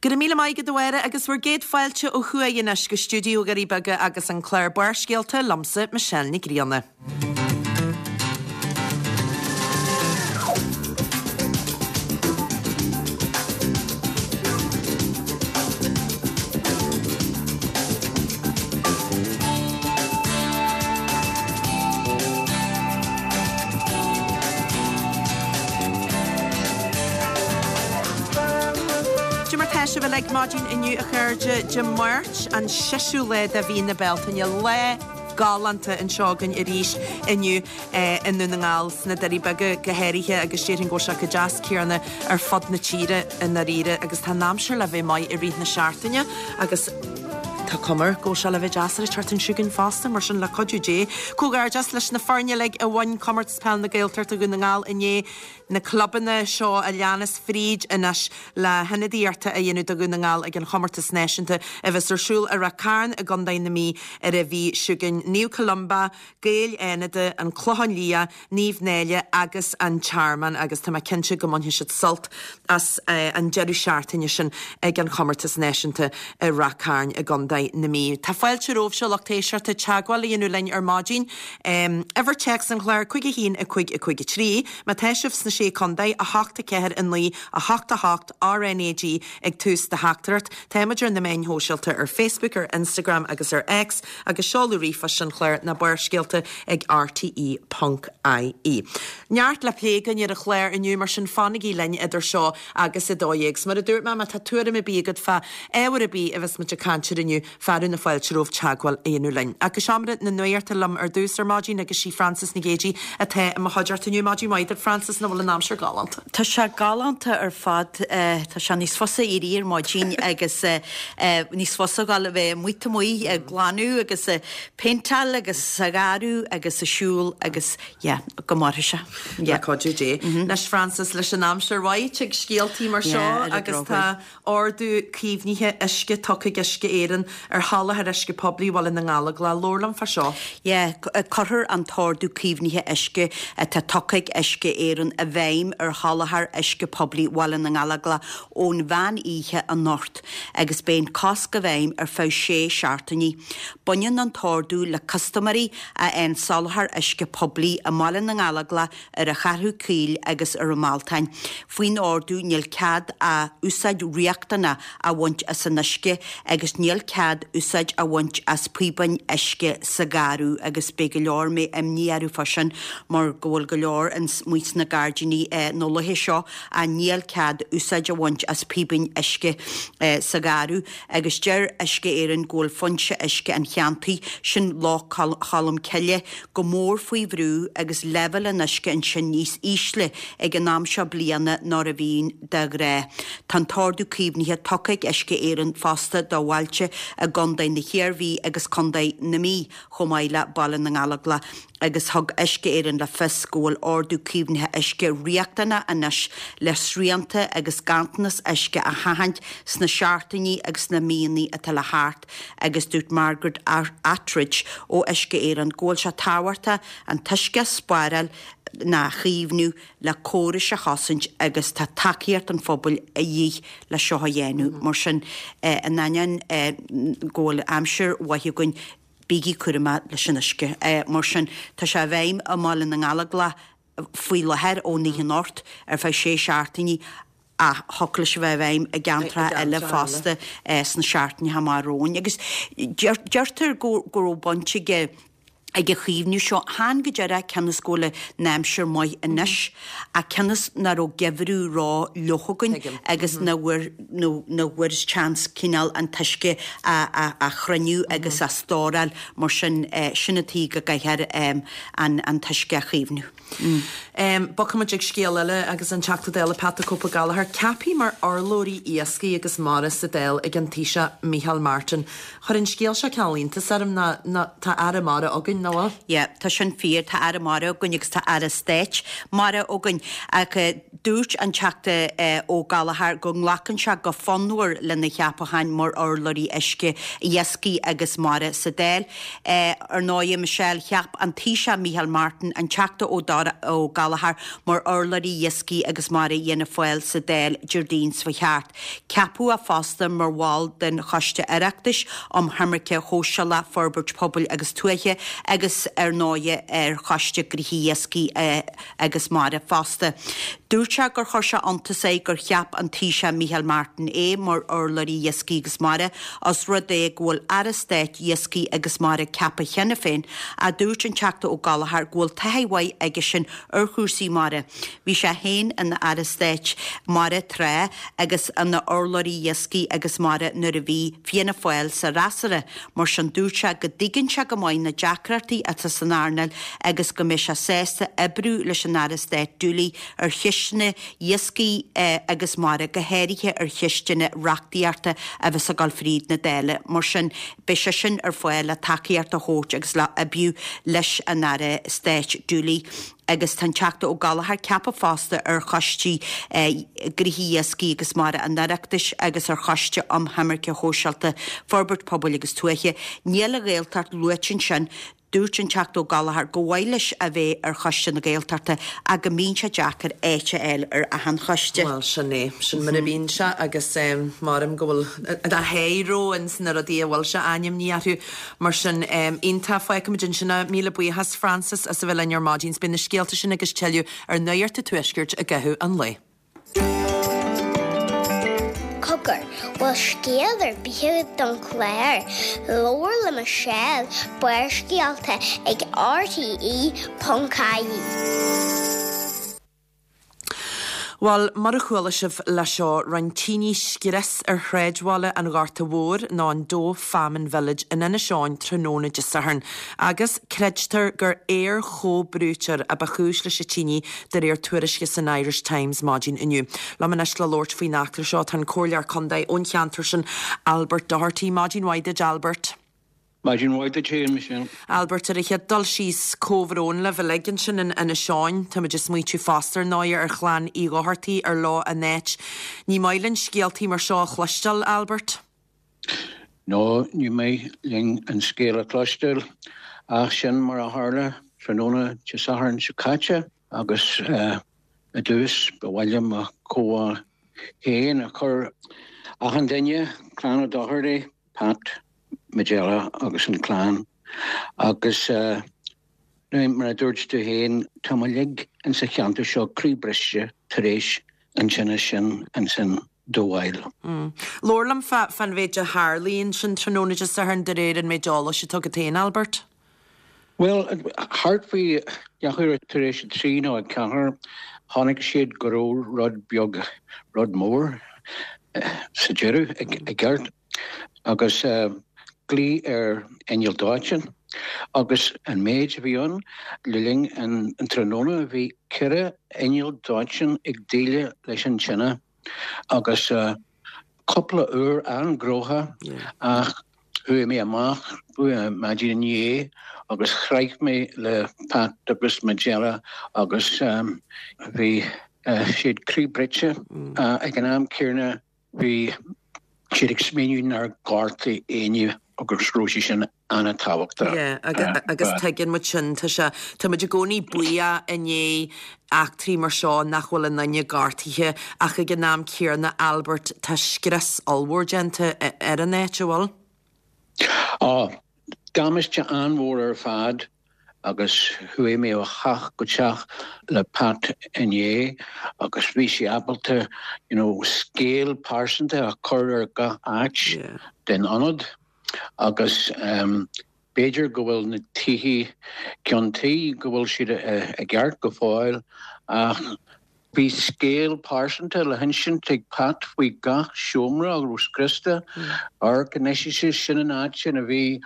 Go raibh míle maith agat a Mháire agus bhur gcéad fáilte ó thuaidh anois go stiúideo Dhoirí Beaga agus an clár Barrscéalta liomsa Michelle Nic Grianna. Cad é mar tá sibh uilig maidin inniu a chairde, Dé Máirt an seisiú lá de mhí na Bealtaine, lá galánta anseo againn arís inniu i nDún na nGall, sna Doirí Beaga go háirithe agus déarfainn go bhfuil sé chomh deas céanna ar fud na tíre i ndáiríre agus tá an aimsir le bheith maith i rith na seachtaine agus Tá cuma air go bhfuil sé le bheith deas ar an tseachtain seo chugainn fosta, mar sin le cuidiú Dé. Comhghairdeas leis na foirne uilig a bhain Comórtas Peil na Gaeltachta Dhún na nGall inné, na clubanna seo a leanas fríd anois le hionadaíocht a dhéanamh do Dhún na nGall ag an Chomórtas Náisiúnta a bheas ar siúl i Ráth Cairn i gContae na Mí ar an mhí seo chugainn, Naomh Columba, Gaeil Fhánada, An Clochán Liath, Naomh Náille agus An Tearmann agus tá mé cinnte go mbainfidh siad sult as an deireadh seachtaine sin ag an chomórtas náisiúnta i Ráth Cairn i gContae na Mí. Tá fáilte romhaibhse, lucht éisteachta, teagmháil a dhéanamh linn ar maidin. Uimhir téacs an chláir, 5 1 5 5 3. Má tá sibh sna Sé Contae, 8 4 9 8 8 RNAG ag tús do theachtaireacht. Táimid ar na meáin shóisialta ar Facebook, ar Instagram agus ar X. Agus seoladh ríomhphoist an chláir ná Barrscéalta ag rte ponc ie. Neart le plé againn ar an chlár inniu, mar sin fanaigí linn idir seo agus 12. 'S mar a dúirt mé, má tá tuairim ar bith agat fá ábhar ar bith a bheas muid ag caint air inniu, fearadh na fáilte romhaibh teagmháil a dhéanamh linn. Ach go seomra na nuachta liom ar dtús ar maidin agus sí Frances Nic Géadaigh atá i mo chuideachta inniu. Maidin mhaith duit Frances, an bhfuil an aimsir galánta? Tá sé galánta ar fad. Tá sé níos fusa éirí ar maidin agus níos fusa dhul a bheith amuigh taobh amuigh ag glanadh agus ag péinteáil agus sa gharradh agus ag siúl agus yeah, go mairfidh sé. Le cuidiú Dé. Anois Frances, leis an aimsir mhaith, tig scéaltaí mar seo agus tá Ordú caomhnaithe uisce tugtha ag Uisce Éireann ar sholáthar uisce poiblí Bhaile na nGallóglach. Labhair liom fá seo. Yeah, cuirfear an t-ordú caomhnaithe uisce atá tugtha ag Uisce Éireann i bhfeidhm ar sholáthar uisce poiblí Bhaile na nGallóglach ón mheán oíche anocht agus beidh an cosc i bhfeidhm ar feadh sé seachtainí. Baineann an t-ordú le custaiméirí a fhaigheann soláthar uisce poiblí i mBaile na nGallóglach ar an Cheathrú Caol agus ar an mBealtaine. Faoin ordú níl cead ach úsáid riachtanach a bhaint as an uisce agus níl cead úsáid a bhaint as píobáin uisce sa gharradh agus beidh go leor mbeidh imní orthu fá sin mar go bhfuil go leor amuigh sna gairdíní na laetha seo ach níl cead úsáid a bhaint as píobáin uisce sa gharradh agus deir Uisce Éireann go bhfuil foinse uisce an cheantair sin Loch Cholm Cille go mór faoi bhrú agus leibhéal an uisce ansin níos ísle ag an am seo bliana ná a bhíonn de ghnáth. Tá an t-ordú caomhnaithe tugtha ag Uisce Éireann fosta do bhailte i gContae na hIarmhí agus Contae na Mí chomh maith le Baile na nGallóglach agus thug Uisce Éireann le fios go bhfuil ordú caomhnaithe uisce riachtanach anois le srianta agus ganntanas uisce a sheachaint sna seachtainí agus sna míonna atá le theacht. agus dúirt Margaret Attridge ó Uisce Éireann go bhfuil sé tábhachtach an t-uisce a spáráil nó a chaomhnú le córais a chosaint agus tá tacaíocht an phobail a dhíth le seo a dhéanamh. Mar sin, in ainneoin go bhfuil aimsir mhaith againn, bígí cúramach leis an uisce. Mar sin, tá sé i bhfeidhm i mBaile na nGallóglach faoi láthair ón oíche anocht ar feadh sé seachtainí ach thiocfadh leis a bheith i bhfeidhm i gceantracha eile fosta sna seachtainí amach romhainn. Agus deirtear go raibh baint ag ag an chaomhnú seo, chan go díreach cionn is go bhfuil an aimsir maith anois, ach cionn is nach raibh geimhreadh ró-fhliuch againn agus nach bhfuair nach bhfuair chance cineál an t-uisce a chruinniú agus a stóráil mar sin, sin an tuige go gcaithfear an t-uisce a chaomhnú. Bogfaimid ag scéal eile agus an Teachta Dála Pat the Cope Gallagher ceaptha mar urlabhraí iascaigh agus mara sa Dáil ag an Taoiseach Micheál Martin. Chuir an scéal seo cineál iontas orm ná tá Aire Mara againn. againn, nach bhfuil? Yeah, tá sin fíor, tá Aire Mara againn agus tá Aire Stáit Mara againn ach dúirt an Teachta Ó Gallchóir go nglacann sé go fonnmhar lena cheapachán mar urlabhraí uisce, iascaigh agus mara sa Dáil. Ar ndóigh, Michelle, cheap an Taoiseach Micheál Martin an Teachta Ó Gallchóir mar urlabhraí iascaigh agus mara Fhianna Fáil sa Dáil Déardaoin seo thart. Ceapadh é fosta mar bhall den Choiste Oireachtais um Choimirce Shóisialach, Forbairt Pobail agus Tuaithe agus ar ndóighe ar Choiste Gnóthaí Iascaigh agus Mara fosta. Dúirt sé gur chuir sé iontas air gur cheap an Taoiseach Micheál Martin é mar urlabhraí Iascaigh agus Mara os rud é go bhfuil Aire Stáit Iascaigh agus Mara ceaptha cheana féin ach dúirt an Teachta Ó Gallchóir go bhfuil taithí mhaith aigesean ar chúrsaí mara. Bhí sé féin ina Aire Stáit Mara tráth agus ina urlabhraí Iascaigh agus Mara nuair a bhí Fianna Fáil sa fhreasúra. Mar sin dúirt sé go dtuigeann sé go maith na deacrachtaí atá san earnáil agus go mbeidh sé sásta oibriú leis an Aire Stáit Dooley ar cheisteanna iascaigh agus mara, go háirithe ar cheisteanna reachtaíochta a bheas ag dul fríd na Dála. Mar sin beidh seisean ar fáil le tacaíocht a thabhairt agus le oibriú leis an Aire Stáit Dooley. Agus tá an Teachta Ó Gallchóir ceaptha fosta ar choistí Gnóthaí Iascaigh agus Mara an Oireachtais agus ar Choiste um Choimirce Shóisialta, Forbairt Pobail agus Tuaithe. Níl an Ghaeltacht luaite ansin. Dúirt an Teachta Ó Gallchóir gur mhaith leis a bheith ar Choiste na Gaeltachta ach go mbíonn sé deacair áit a fháil ar achan choiste. Bhuel, sin é. Sin mar a bhíonn sé agus maram go bhfuil a sháith ró ins na rudaí a bhfuil sé ainmnithe orthu. Mar sin, iontach. Fágfaimid ansin é. Míle buíochas, Frances, as a bheith linn ar maidin. 's beidh na scéalta sin agus tuilleadh ar Nuacht an Tuaiscirt i gcaitheamh an lae. Cogar, bhfuil scéal ar bith agat don chlár? Labhair le Michelle, Barrscéalta ag RTE.ie. Bhuel, mar a chuala sibh le seo, rinne tine scrios ar shráidbhaile an Ghorta Mhóir, nó an Doagh Famine Village, in Inis Eoghain tráthnóna Dé Sathairn. Agus creidtear gur aer-chomhbhrúiteoir a ba chúis leis an tine, de réir tuairisce san Irish Times maidin inniu. Liom anois le labhairt faoin eachtra seo tá an Comhairleoir Contae ón cheantar sin, Albert Doherty. Maidin mhaith duit, Albert. Maidin mhaith duit féin, Michelle. Albert, ar an chéad dul síos, comhbhrón libh uilig ansin in Inis Eoghain. Táimid ag smaoitiú fosta ar ndóigh ar chlann Uí Dhochartaigh ar leo an áit. Ní maith linn scéaltaí mar seo a chloisteáil, Albert. No, ní maith linn an scéal a chloisteáil, ach sin mar a tharla tráthnóna Dé Sathairn seo caite agus i dtús ba mhaith liom mo chomhbhá féin a chur achan duine, clann O'Doherty, Pat, Majella agus an clann agus mar a dúirt tú féin, tá muid uilig ins an cheantar seo croíbhriste tar éis an tine sin ins an Doagh Isle. Labhair liom fán mhéid a tharlaigh ansin tráthnóna Dé Sathairn de réir an méid eolais atá agat féin, Albert. Bhuel, thart faoi leathuair tar éis a trí nó a ceathair, chonaic siad go raibh rud beag, rud mór sa deireadh, i gceart, agus glaodh ar inneall dóiteáin. Agus an méid a bhí ann, le linn an tráthnóna, bhí ceithre inneall dóiteáin ag déileáil leis an tine. Agus cúpla uair an-ghnóthach ach chuaigh mé amach maidin inné agus chroith mé le Pat agus Majella agus bhí siad croíbhriste ag an am céanna bhí siad ag smaoineamh nár gortaigh éinne agus raibh sé sin an-tábhachtach. Yeah, agus tuigeann muid sin, tá sé, tá muid i gcónaí buíoch i ndiaidh eachtraí mar seo nach bhfuil aon duine gortaithe ach ag an am céanna, Albert, tá scrios ollmhór déanta ar an áit, an bhfuil? Á, damáiste an-mhór ar fad agus chuaigh mé ó theach go teach le Pat inné agus bhí sé ábalta you know scéal pearsanta a chur ar gach áit den ionad agus b'fhéidir go bhfuil na tithe ceann tuí go bhfuil siad i gceart go fóill ach bhí scéal pearsanta le hinsint ag Pat faoi gach seomra a raibh scriosta. Amharc anois is sin an áit ina bhí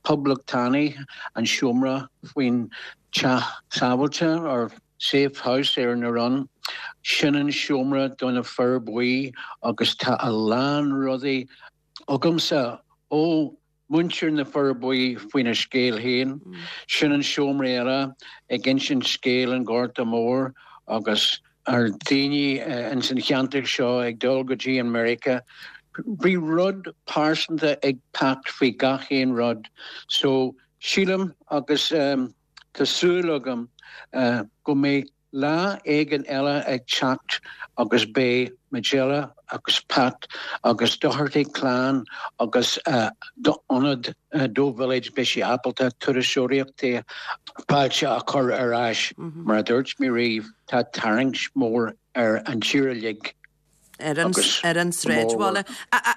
poblachtánaigh, an seomra faoin teach sábháilte or safe house ar an run. Sin an seomra do na fir buí agus tá a lán rudaí agamsa ó. Muintir na Forbaí faoina scéal féin. Sin an seomra eile ag insint scéal an Ghorta Mhóir agus ar daoine ins an cheantar seo ag dul go dtí an Meiriceá. Bhí rud pearsanta ag Pat faoi gach aon rud so sílim agus tá súil agam go mbeidh Lá éigin eile ag teacht agus beidh Majella agus Pat agus Doherty clann agus ionad Doagh Village beidh sé ábalta turasóireachta fáilte a chur ar ais. Mar a dúirt mé riamh tá tarraingt mór ar an tír uilig. ar an ar an sráidbhaile.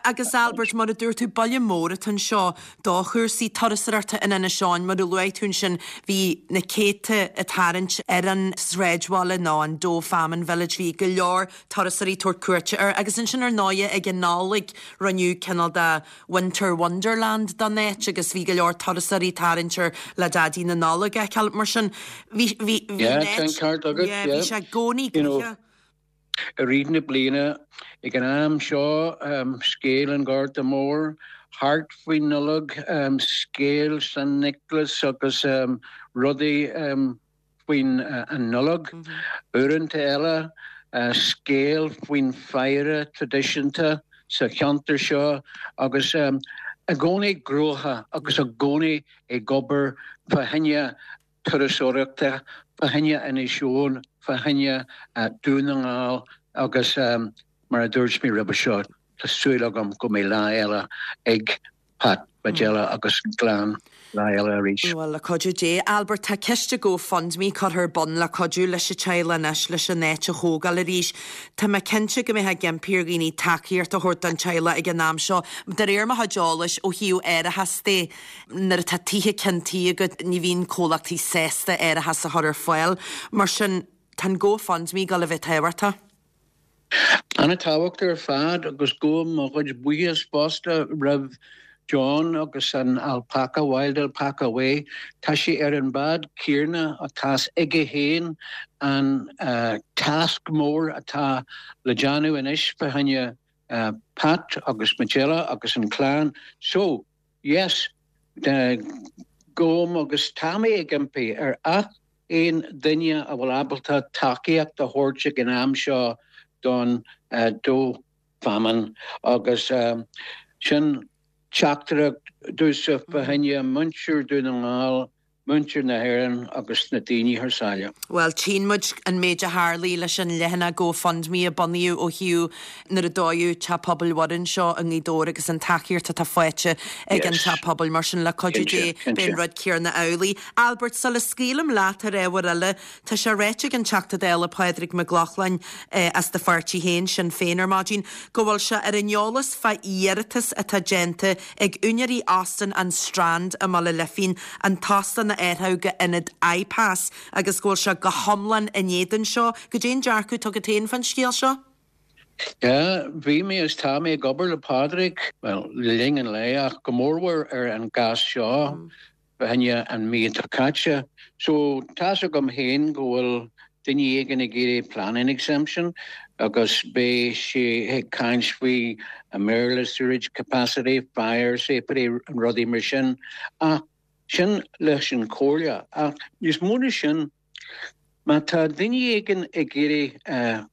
Agus Albert, mar a dúirt tú, baile mór atá anseo do chúrsaí turasóireachta in Inis Eoghain. Mar a luaigh tú ansin, bhí na céadta ag tarraingt ar an sráidbhaile nó an Doagh Famine Village, bhí go leor turasóirí ag tabhairt cuairte air. Agus ansin ar ndóighe ag an Nollaig rinneadh cineál de Winter Wonderland den áit agus bhí go leor turasóirí ag tarraingt air le Daidí na Nollag a fheiceáil. Mar sin, bhí bhí bhí an áit, yeah, bhí sé i gcónaí gnoitheach. I rith na bliana, ag an am seo, scéal an Ghorta Mhóir, thart faoin Nollaig, scéal San Nioclás agus rudaí faoin an Nollaig. Uaireanta eile, scéal faoin faire traidisiúnta sa cheantar seo agus i gcónaí gnóthach agus i gcónaí ag obair fá choinne turasóireachta fá choinne Inis Eoghain, fá choinne Dún na nGall agus mar a dúirt mé roimhe seo, tá súil agam go mbeidh lá eile ag Pat Majella agus an gclann lá eile arís. Bhuel, le cuidiú Dé. Albert, tá ciste GoFundMe curtha ar bun le cuidiú leis an teaghlach anois leis an áit a thógáil arís. Tá mé cinnte go mbeifeá ag impí ar dhaoine tacaíocht a thabhairt don teaghlach ag an am seo. De réir mo chuid eolais, ó thaobh árachas de, Nuair atá tithe ceann tí agat ní bhíonn comhlachtaí sásta árachas a chur ar fáil. Mar sin, tá an GoFundMe ag dul a bheith tábhachtach. An-tábhachtach ar fad agus gabhaim mo chuid buíochas fosta roimh John agus an Alpaca, Wild Alpaca Way. Tá sé ar an bád céanna atá's aige féin an tasc mór atá le déanamh anois fá choinne Pat agus Majella agus an clann. So, Yes, gabhaim agus tá mé ag impí ar ach aon duine a bhfuil ábalta tacaíocht a thabhairt ag an am seo don Doagh Famine agus sin teachtaireacht domhsa fá choinne muintir Dún na nGall muintir na hÉireann agus na daoine thar sáile. Bhuel, tchíonn muid an méid a tharlaigh leis an leathanach GoFundMe a bunaíodh ó thaobh nuair a dódh Teach Pobail Mhuire anseo i nGaoth Dobhair agus an tacaíocht atá faighte ag an Teach Pobail. Mar sin, le cuidiú Dé, beidh an rud céanna amhlaidh. Albert, sula scaoilim leat ar ábhar eile, Tá sé ráite ag an Teachta Dála Pádraig Mac Lochlainn as do pháirtí féin, Sinn Féin, ar maidin go bhfuil sé ar an eolas fá iarratas atá déanta ag úinéirí Óstán an Strand i mBaile Lifín an t-óstán a athrú go ionad IPAS agus go bhfuil sé go hiomlán in éadan seo. Goidé an dearcadh atá agat féin fán scéal seo? Yeah, bhí mé is tá mé ag obair le Pádraig, bhuel, le linn an lae ach go mórmhór ar an gcás seo. Fá choinne an mhí atá caite. So, tá's agam féin go bhfuil duine éigin ag iarraidh planning exemption agus beidh sé ag caint faoi i mBéarla sewerage capacity, fire safety, rudaí mar sin. Ach sin leis an chomhairle. Ach níos mó ná sin, má tá duine éigin ag iarraidh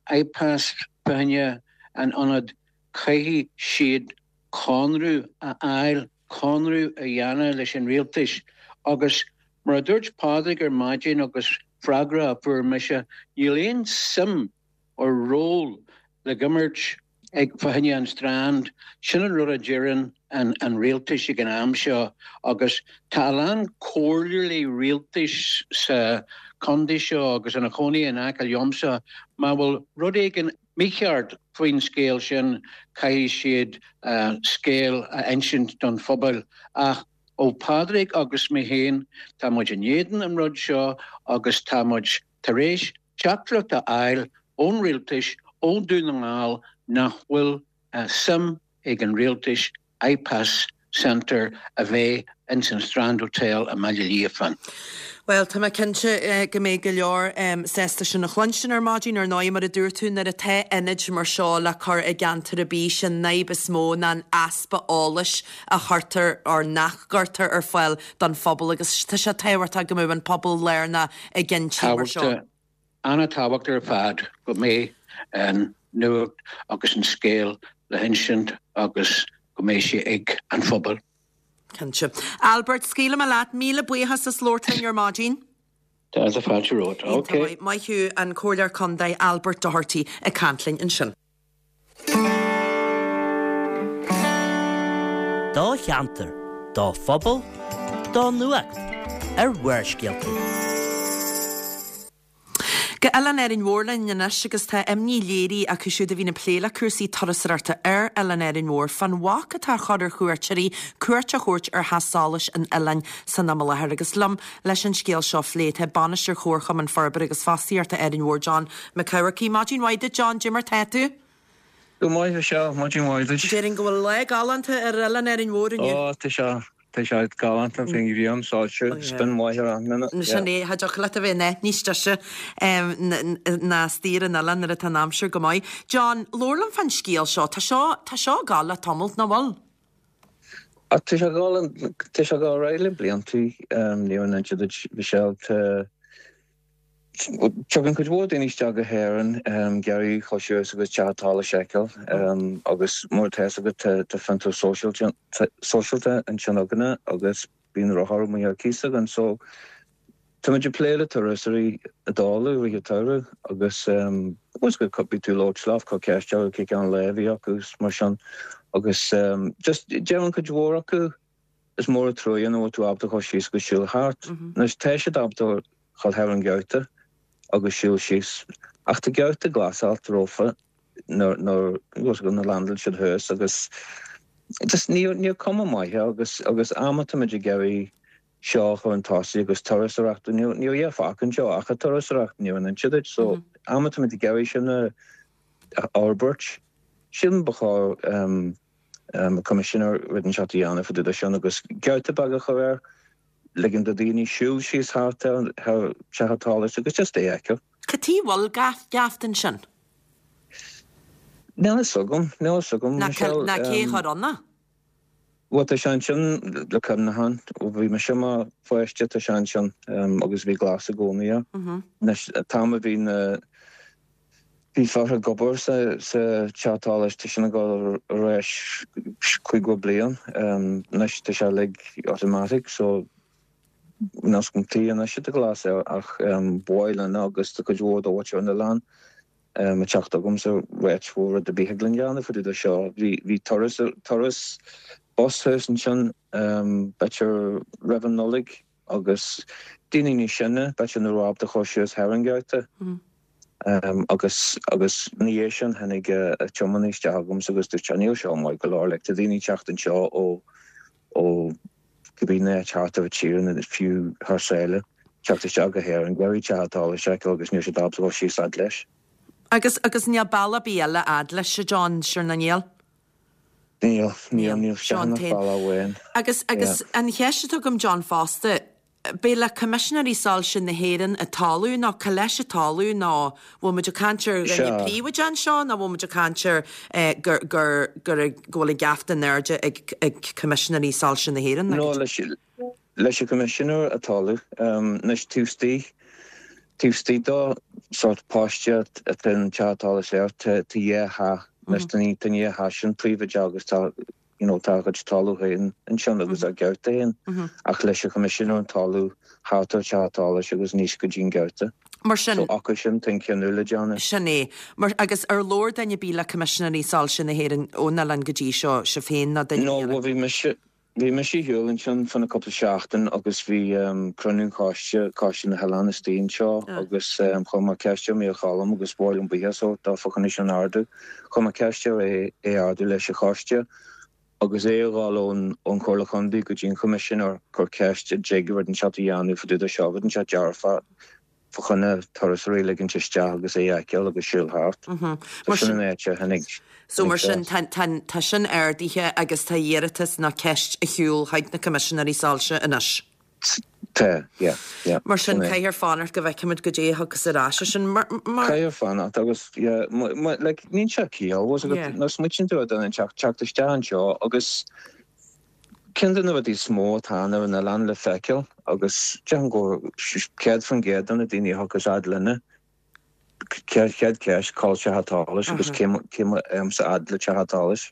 IPAS fá choinne an ionad, caithfidh siad conradh a fháil conradh a dhéanamh leis an rialtas agus mar a dúirt Pádraig ar maidin agus freagra a fuair mise, níl aon suim or ról le himirt ag fá choinne an Strand, sin an rud a deireann an rialtas ag an am seo agus tá a lán comhairleoirí rialtais sa chontae seo agus ina chónaí in aice liomsa, má bhfuil rud éigin mícheart faoin scéal sin, caithfidh siad scéal a insint don phobal. Ach ó Phádraig agus mé féin, tá muid in éadan an rud seo agus tá muid tar éis teachtaireacht a fháil ón rialtais, ó Dún na nGall, nach bhfuil suim ag an rialtais IPAS Centre a bheith ins an Strand Hotel i mBaile Liafáin. Bhuel, tá mé cinnte go mbeidh go leor sásta sin a chluinstin ar maidin. Ar ndóigh, mar a dúirt tú, nuair atá ionaid mar seo le cur i gceantar ar bith, sin an fhadhb is mó ná an easpa eolais a chuirtear or nach gcuirtear ar fáil don phobal agus tá sé tábhachtach go mbeadh an pobal lárnach i gcinntí mar seo. An-tábhacht ar fad go mbeidh an nuacht agus an scéal le hinsint agus go mbeidh sé ag an phobal. Cinnte. Albert, scaoilfidh mé leat. Míle buíochas as labhairt linn ar maidin. Tá fáilte romhat. Ok. Iontach maith. Maith thú, an Comhairleoir Contae Albert Doherty ag caint linn ansin. Do cheantar, do phobal, do nuacht ar Bharrscéalta. Go Oileán Árainn Mhór linn anois agus tá imní léirithe acu siúd a bhíonn ag plé le cúrsaí turasóireachta ar Oileán Árainn Mhór fán bhac atá á chur ar chuairteoirí cuairt a thabhairt ar theach solais an oileáin san am i láthair. Agus liom leis an scéal seo a phlé tá Bainisteoir Chomharchumann Forbartha agus Fostaíochta Árainn Mhór John Mac Eamharcaigh. Maidin mhaith duit John, cad é mar tá tú? Go maith Michelle, maidin mhaith duit. Déarfainn go bhfuil lá galánta ar Oileán Árainn Mhór inniu. Ó tá sé, tá sé galánta, bhí an ghrian soilsiú, spin mhaith ar an duine. Sin é, cha dtiocfadh leat a bheith in áit níos deise ná istigh ar an oileán nuair atá an aimsir go maith. John, labhair liom fán scéal seo, tá seo, tá seo ag gabháil le tamalt, nach bhfuil? Tá sé ag gabháil, tá sé ag gabháil ar aghaidh le bliantaí, ní raibh an inse duit Michelle, tá, Tagann cuid mhór daoine isteach go hÉirinn ag iarraidh dul suas agus Teach an tSolais a fheiceáil agus mar atá fhios agat tá fiontar sóisialta ansin againne agus bíonn rothar amuigh ar cíos againn so táimid ag plé le turasóirí ag dul i rith an tsamhraidh agus agus go bíonn tú ag labhairt leo cur ceist orthu cé cén lá a bhí acu is mar sin agus just deireann cuid mhór acu Is mór an truaighe nach bhfuil tú ábalta dhul síos agus siúl thart. Anois, tá siad ábalta dhul thar an gheabhta agus siúl síos, ach tá geabhta glasáilte rófa nuair nuair a landáil siad thuas agus just níl níl cuma maith air agus agus am atáimid ag iarraidh seo a chur chun tosaigh agus turasóireacht, níl níl a dhath fágtha anseo ach an turasóireacht, níl an inse duit, so am atáimid ag iarraidh sin a fhorbairt, sílim ba chóir an Coimisinéir rud inteacht a dhéanamh fá dtaobh de sin agus geabhta beag a chur air, ligean do dhaoine siúl síos thart ar Teach an tSolais agus just é a fheiceáil. Cad chuige a bhfuil geafta ansin? Níl fhios agam, níl fhios agam, Michelle. Ná cé a chuir ann é? Bhuel tá sé ansin le cuimhneachán, ó bhí mise i mo pháiste tá sé ansin agus bhí glas i gcónaí air. Anois an t-am a bhí na Bhí fear ag obair sa teach tsolais, tá sin ag dul ar ais 50 bliain. Anois tá sé uilig automatic so níl fhios agam cad chuige anois atá glas air ach ba mhaith linn agus tá cuid mhór de mhuintir an oileáin ag teacht chugamsa ag ráit bhfuil rud ar bith thig linn dhéanamh fá dtaobh de seo. Bhí turas turas bus thuas ansin b'fhéidir roimh an Nollaig agus daoine níos sine, b'fhéidir nach raibh ábalta dhul síos thar an gheabhta. Agus agus ina dhiaidh sin tháinig an tiománaí isteach chugamsa agus dúirt sé níl seo maith go leor, like tá daoine ag teacht anseo ó ó cibé áit thart ar an tír nó fiú thar sáile, teacht isteach go hÉirinn, ag iarraidh teach an tsolais a fheiceáil agus níl siad ábalta dhul síos fhad leis. Agus agus níl bealach ar bith eile fhad leis, a John, sure ná níl? Níl, níl, níl Seo an t-aon bealach amháin. Agus, agus an cheist atá agam John fosta, beidh le Coimisinéirí Soilse na hÉireann an toiliú nó cá leis an toiliú nó bhfuil muid ag caint ar dhuine príobháideach anseo nó bhfuil muid ag caint ar gur, gur, gur, go bhfuil an geafta in airde ag, ag Coimisinéirí Soilse na hÉireann? No, leis, leis an Choimisinéir an toiliú. Anois taobh istigh, taobh istigh de sórt paiste atá an teach tsolais air, tá, tá dhá theach. Anois tá an, tá an dhá theach sin príobháideach agus tá, you know, tá a gcuid talamh féin ansin agus a geabhta féin ach leis an Choimisinéir an toiliú thart ar teach an tsolais agus aníos go dtí an geabhta. Mar sin. So acu sin tá an cinneadh le déanamh. Sin é. Mar, agus ar labhair duine ar bith le Coimisinéirí Soilse na hÉireann ón oileán go dtí seo, sibh féin nó duine No, bhuel bhí mise, Bhí mise ar shiúl ansin fá choinne cúpla seachtain agus bhí cruinniú choiste, Coiste na hOileán istigh anseo agus chuir mé ceist ar Mícheál Choilm agus ba mhaith liom buíochas a thabhairt dó fá choinne sin a ardú. Chuir mé ceist air é a ardú leis an choiste agus é a dhul ón Chomhairle Chontae go dtí an Choimisinéir, cur ceist an dtig rud inteacht a dhéanamh fá dtaobh de seo, rud inteacht dearfach. fá choinne turasóirí a ligint isteach agus é a fheiceáil agus siúl thart. So sin an áit a tháinig So mar sin, tá, tá, tá sin ardaithe agus tá iarratas nó ceist ar shiúl chuig na Coimisinéirí Soilse anois. Tá, yeah, yeah. Mar sin, caithfear fanacht go bhfeicfimid goidé a thiocfas ar ais as sin. Mar. Caithfear fanacht agus, yeah, like, níl sé ciall, bhfuil a fhios agat, nuair a smaoitíonn tú ar duine teacht, teacht isteach anseo agus ceann de na rudaí is mó atá ann ar an oileán le feiceáil agus déarfainn go 100% de na daoine a thiocfas fhad linne, chéad cheist, cá bhfuil teach an tsolais agus cé agamsa fhad le teach an tsolais.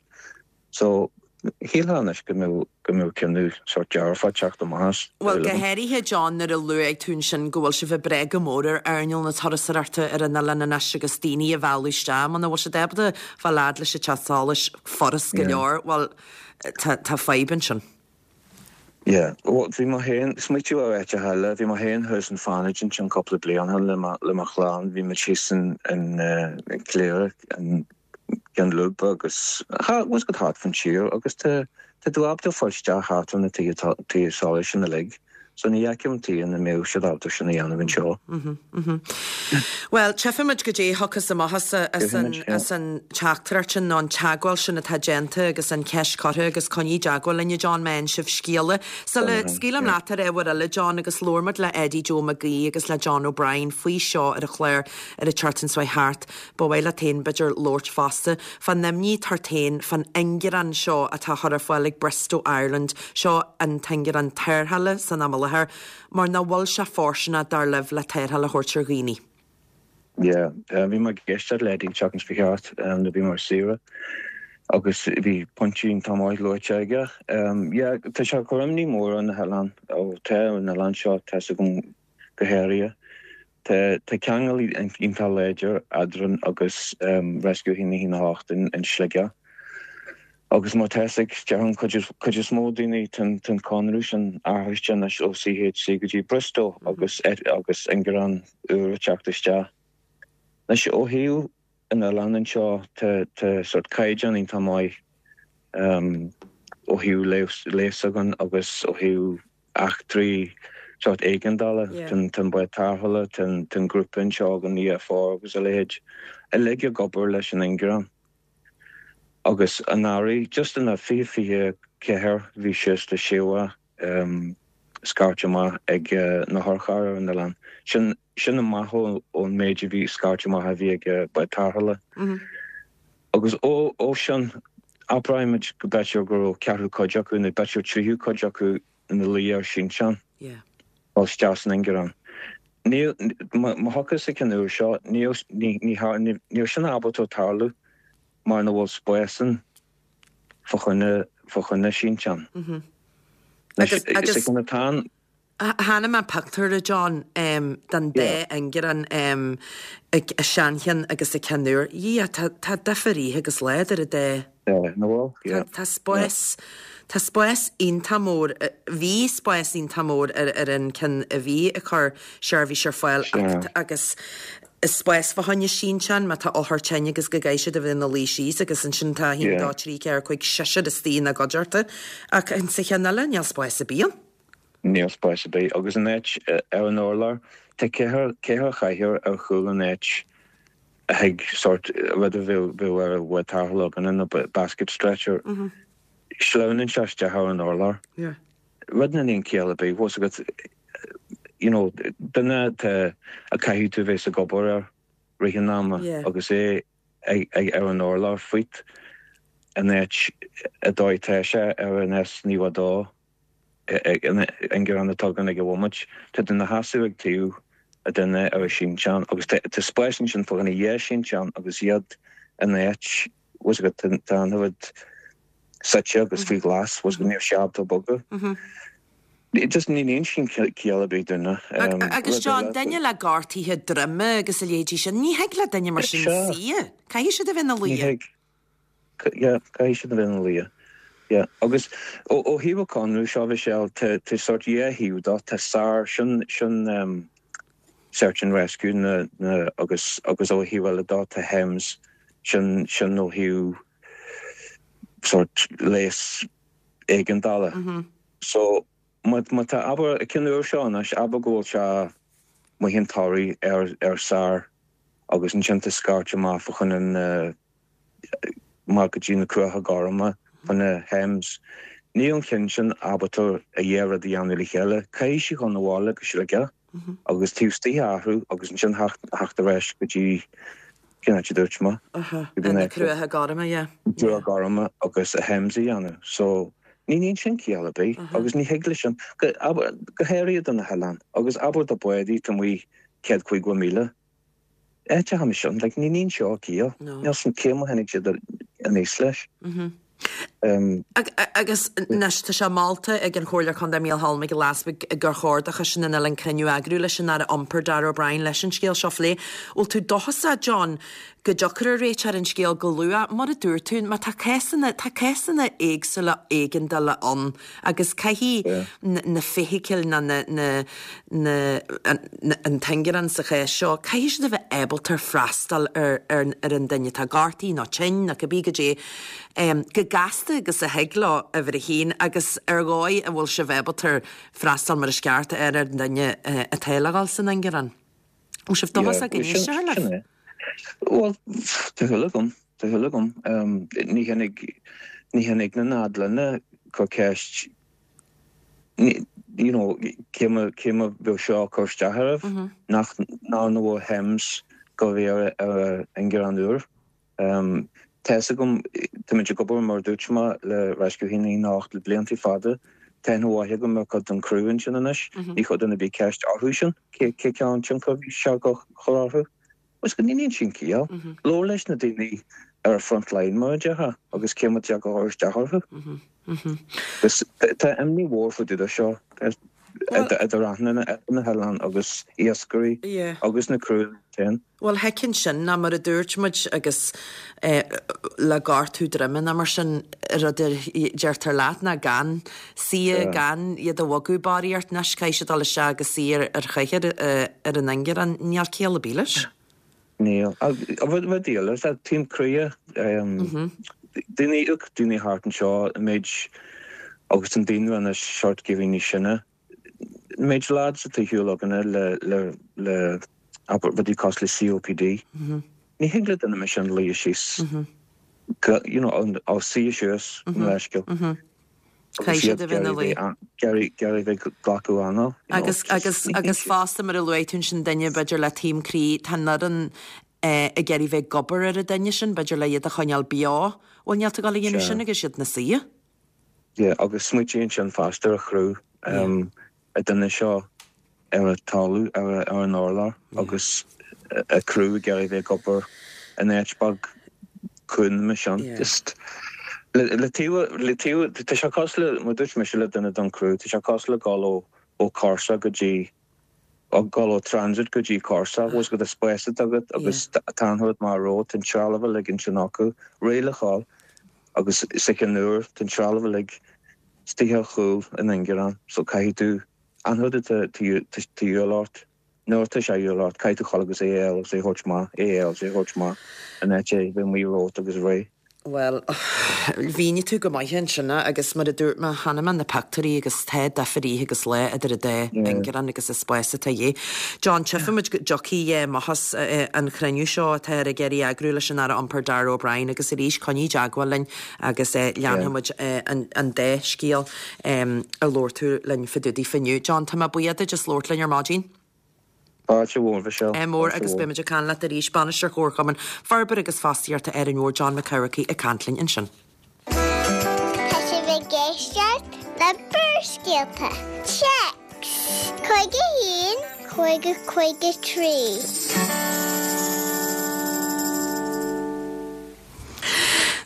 So, shílfeá anois go mbeadh, go mbeadh cinneadh sórt dearfach ag teacht amach as. Bhuel, go háirithe, John, nuair a luaigh tú ansin go bhfuil sibh ag brath go mór ar earnáil na turasóireachta ar an oileán anois agus daoine a mhealladh isteach. Muna bhfuil siad ábalta fáil fhad leis an teach solais furast go leor, bhuel, tá, tá fadhb ansin. Yeah, bhuel, bhí mé féin, smaoitiú ar áiteacha eile, bhí mé féin thuas in Fánaid ansin cúpla bliain ó shin le mo, le mo chlann, bhí muid thíos in, in, in Cléire, in Ceann Lúibe agus, bhfuil a fhios agat thart fan tír agus tá, tá tú ábalta fáil isteach thart ar na tithe, tithe solais sin uilig. So ní fheicim tuige nach mbeadh siad ábalta sin a dhéanamh anseo. Bhuel, tchífimid goidé a thiocfas amach as as an teachtaireacht sin nó an teagmháil sin atá déanta agus an cheist curtha agus coinnigh i dteagmháil linn, a John, má fhaigheann sibh scéala. Sula scaoilim leat ar ábhar eile, John, agus labhair muid le Eddie Joe Mac Aoidh agus le John O'Brien faoi seo ar an chlár ar an tseachtain seo thart, ba mhaith leat féin, b'fhéidir, labhairt fosta fán imní atá ort féin fán ingearán seo atá á chur ar fáil ag Bristow Ireland. Seo an t-ingearán tarrthála san am i láthair, mar nach bhfuil sé fóirsteanach, dar libh, le tarrtháil a thabhairt ar dhaoine. Yeah, bhí mé ag éisteacht le Eddie an tseachtain seo thart nuair a bhí mé ar saoire agus bhí pointí iontach maith luaite aige. Yeah, tá sé ag cur imní mór ar na hoileáin, ó tá ar an oileán seo, tá 'fhios agam go háirithe. Tá ceangal iontach láidir eadrainn agus Rescue 1 1 8 in Sligeach. Agus mar tá 'fhios ag, déarfainn, cuid is mó daoine, tá an conradh sin athraithe anois ó CHC go dtí Bristow agus agus ingearán úr ag teacht isteach. Anois ó thaobh an oileáin anseo tá tá sort caighdeán iontach maith ó thaobh leigheas againn agus ó thaobh eachtraí sórt éigeandála, tá an bád tarrthála, tá an grúpa anseo ag an EFR agus a leithéid, uilig ag obair leis an ingearán. Agus anuraidh, just in 2024, bhí suas le 60 scairt amach ag na hurchair ar an oileán. Sin sin amach ón méid a bhí scairt amach a bhí ag bád tarrthála. Agus ó sin, abraímid go b'fhéidir go raibh ceathrú cuid acu, nó b'fhéidir tríú cuid acu ina luí ar sínteán, dul isteach san ingearán. Níl, má thiocfas an ceann úr seo, níl, níl sin ábalta tarlú mar nach bhfuil spás ann fá choinne, fá choinne sínteán. Anois, is é ceann atá ann. Chonaic mé pictiúr, a John, den dá ingearán, an seancheann agus an ceann úr. Dhia, tá difear oíche agus lá idir an dá. Nach bhfuil? Yeah. Tá spás, tá spás iontach mór, bhí spás iontach mór ar an ceann a bhí ag cur seirbhís ar fáil agus spás fá choinne sínteán má tá othar tinn agus go gcaithfidh siad a bheith ina luí síos agus ansin tá 1, 2, 3, 4, 5, seisear istigh ina gcuideachta ach sa cheann eile níl spás ar bith ann. Níl spás ar bith. Agus an áit ar an urlár, tá ceithre chathaoir ar chúl an áit a thig sórt rud a bheadh ar bhád tarrthála againne nó basket stretcher. Sleamhnann sé isteach ar an urlár. Rud nach níonn ciall ar bith. Bhfuil 's agat, you know, duine atá a caithfidh tú bheith ag obair air rith an ama agus é ag ar an urlár fút an áit a dóigh tá sé ar an S92. Ingearán atá againn ag an bhomaite. Tá duine ina sheasamh ag taobh a duine ar a sínteán agus tá spás ansin fá choinne dhá shínteán agus iad in áit, bhfuil 's agat, tá an rud suite agus faoi ghlas, bhfuil 's agat, níl sé ábalta bogadh. Just ní níonn sin ciall ar bith dúinne. Agus John, duine le gortuithe droime agus a leithéidí sin, ní thig le duine mar sin suí. Caithfidh siad a bheith ina luí. Ní thig. Yeah, caithfidh siad a bheith ina luí. Yeah. Agus ó thaobh an conradh seo, Michelle, tá tá sórt dhá thaobh dó, tá SAR, sin sin um, Search and Rescue na na agus agus ó thaobh eile dó tá HEMS, sin sin ó thaobh sórt leigheas éigeandála. Mm -hmm. So má má tá abair an ceann úr seo anois, abair go bhfuil sé amuigh an Toraigh ar ar SAR agus ansin tá scairt amach fá choinne na amach go dtí na Cruacha Gorma fá na HEMS. Níl an cheann sin ábalta a dhá rud a dhéanamh le chéile. Caithfidh sí dhul 'na bhaile go Sligeach agus taobh istigh a athrú agus ansin theacht ar ais go dtí, cén áit a dúirt mé? Na Cruacha Gorma, yeah. Cruacha Gorma agus a Hems a dhéanamh. So, ní níonn sin ciall ar bith agus ní thig leis sin, go háirithe do na hoileáin agus abair do bádaí atá amuigh 150 míle. Áit a tháinig sin, like, ní níonn seo ciall. Níl san cé mar tháinig siad aníos leis. Agus anois tá sé molta ag an Chomhairleoir Contae Mícheál Mac Giolla Easbuig gur chóir do Choiste na nOileán cruinniú a eagrú leis an Aire Iompair Darragh O'Brien leis an scéal seo a phlé. Bhfuil tú dóchasach, John, go dtiocfar ar réiteach ar an scéal go luath? Mar a dúirt tú, má tá cásanna, tá cásanna éagsúla éigeandála ann Agus caithfidh na feithicil nó na, na, na, an t-ingearán sa chás seo, caithfidh siad a bheith ábalta freastal ar, ar, ar an duine atá gortaithe nó tinn nó cibé goidé, go gasta agus a thig leo, uimhir a haon, agus ar dhóigh a bhfuil sibh ábalta freastal mar is ceart ar an duine atá le dhul san ingearán. Bhfuil sibh dóchasach go n-éistfear libh? Bhuel, tá shúil agam, tá shúil agam. Ní tháinig, ní tháinig na nád linne cur ceist, you know, cé mar, cé mar bheadh seo ag cur isteach oraibh, nach, ná na bhfuil Hems go bhí ar ar ingearán úr. Tá fhios agam, táimid ag obair mar a dúirt mé le Rescue 118 le blianta fada. Tá aithne mhaith agam ar chuid den chriú ansin anois. Ní chuir duine ar bith ceist orthu sin cé cén tionchar a bhí sé ag cur orthu. Agus go níonn sin ciall. Labhair leis na daoine ar an front line mar a déarfá agus cé mar atá ag cur isteach orthu. Agus tá imní mhór fá dtaobh de seo idir aithne na hoileáin agus iascairí agus na criú féin. Bhuel, thuigfinn sin, ná mar a dúirt muid agus le gortú droime ná mar sin, rud a deirtear leat ná gan suí, gan iad a bhogadh barraíocht anois, caithfidh siad dul isteach agus suí ar chathaoir ar an ingearán, níl ciall ar bith leis. Níl. Rud eile, is ea taom croí, daoine, daoine thart anseo, an méid, agus an daonra anois sórt ag éirí níos sine, An méid lads atá ar shiúl againne le le le abair rudaí cosúil le COPD, ní thig le duine mar sin luí síos go you know ó suí suas mo leithscéal agus iad ag iarraidh a bheith ag glacadh anáil. Agus agus agus fosta mar a luaigh tú ansin duine b'fhéidir le taom croí tá an fhoireann ag iarraidh bheith ag obair ar an duine sin b'fhéidir le iad a choinneáil beo. Bhuel níl tú ag dul a dhéanamh sin agus iad ina suí. Yeah, agus smaoitigh ansin fosta ar chriú an duine seo ar an talamh, ar an urlár agus a criú ag iarraidh bheith ag obair in áit beag cúng mar sin. Just le taobh, le taobh, tá sé cosúil le, mar dúirt mise le duine den chriú, tá sé cosúil le dhul ó ó cúrsa go dtí, dhul ó transit go dtí cúrsa, bhfuil fhios agat, spás atá agat agus tá an rud mar ró, tá an trealamh uilig ansin acu, réidh le dhul. Agus sa cheann úr, tá an trealamh uilig istigh ar chúl an ingearáin, so caithfidh tú, an rud atá de dhíobháil ort, nuair atá sé de dhíobháil ort, caithfidh tú dhul agus é a fháil agus é a thabhairt amach, é a fháil agus é a thabhairt amach, in áit é bheith amuigh romhat agus réidh. Bhuel, mhínigh tú go maith ansin é agus mar a dúirt mé, chonaic mé na pictiúirí agus tá difear oíche agus lá idir an dá ingearán agus an spás atá de dhíth. John, tchífidh muid go dtiocfaidh amach as an chruinniú seo atáthar ag iarraidh a eagrú leis an Aire Iompair Darragh O'Brien agus arís coinnigh i dteagmháil linn agus leanfaidh muid an dá scéal a labhair tú linn fá dtaobh daofa inniu. John, tá mé buíoch duit as labhairt linn ar maidin. Fáilte mhór, Michelle. Ádh mór agus beidh muid ag caint leat arís. Bainisteoir Chomharchumann Forbartha agus Fostaíochta Árainn Mhór, John Mac Eamharcaigh ag caint linn ansin. Tá sibh ag éisteacht le Barrscéalta. Téacs 51 50 53.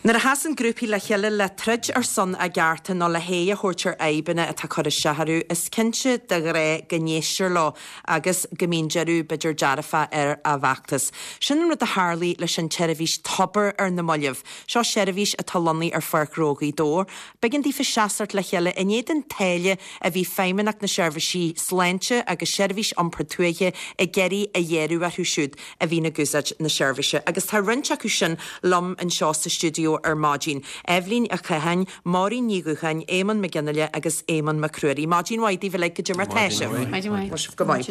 Nuair a sheasann grúpaí le chéile le troid ar son a gcearta nó le haghaidh a thabhairt ar fhadhbanna atá ag cur isteach orthu, is cinnte de ghnáth go n-éistear leo agus go mbíonn deireadh, b'fhéidir, dearfach ar a bhfeachtas. Sin an rud a tharlaigh leis an tseirbhís Tobar ar na mallaibh. Seo seirbhís atá lonnaithe ar Pháirc Ghnó Ghaoth Dobhair. B'éigean daofa seasacht le chéile in éadan táille a bhí Feidhmeannacht na Seirbhísí Sláinte agus Seirbhís Iompair Tuaithe ag iarraidh a ghearradh orthu siúd a bhíonn ag úsáid na seirbhíse. Agus tá roinnt acu sin liom anseo sa stiúideo ar maidin, Eibhlín Uí Chatháin, Máirín Ní Dhúcháin, Éamonn Mac Fhionnghaile agus Éamonn Mac Ruairí. Maidin mhaith daoibh uilig, goidé mar tá sibh? Maidin mhaith. Tá sibh go maith.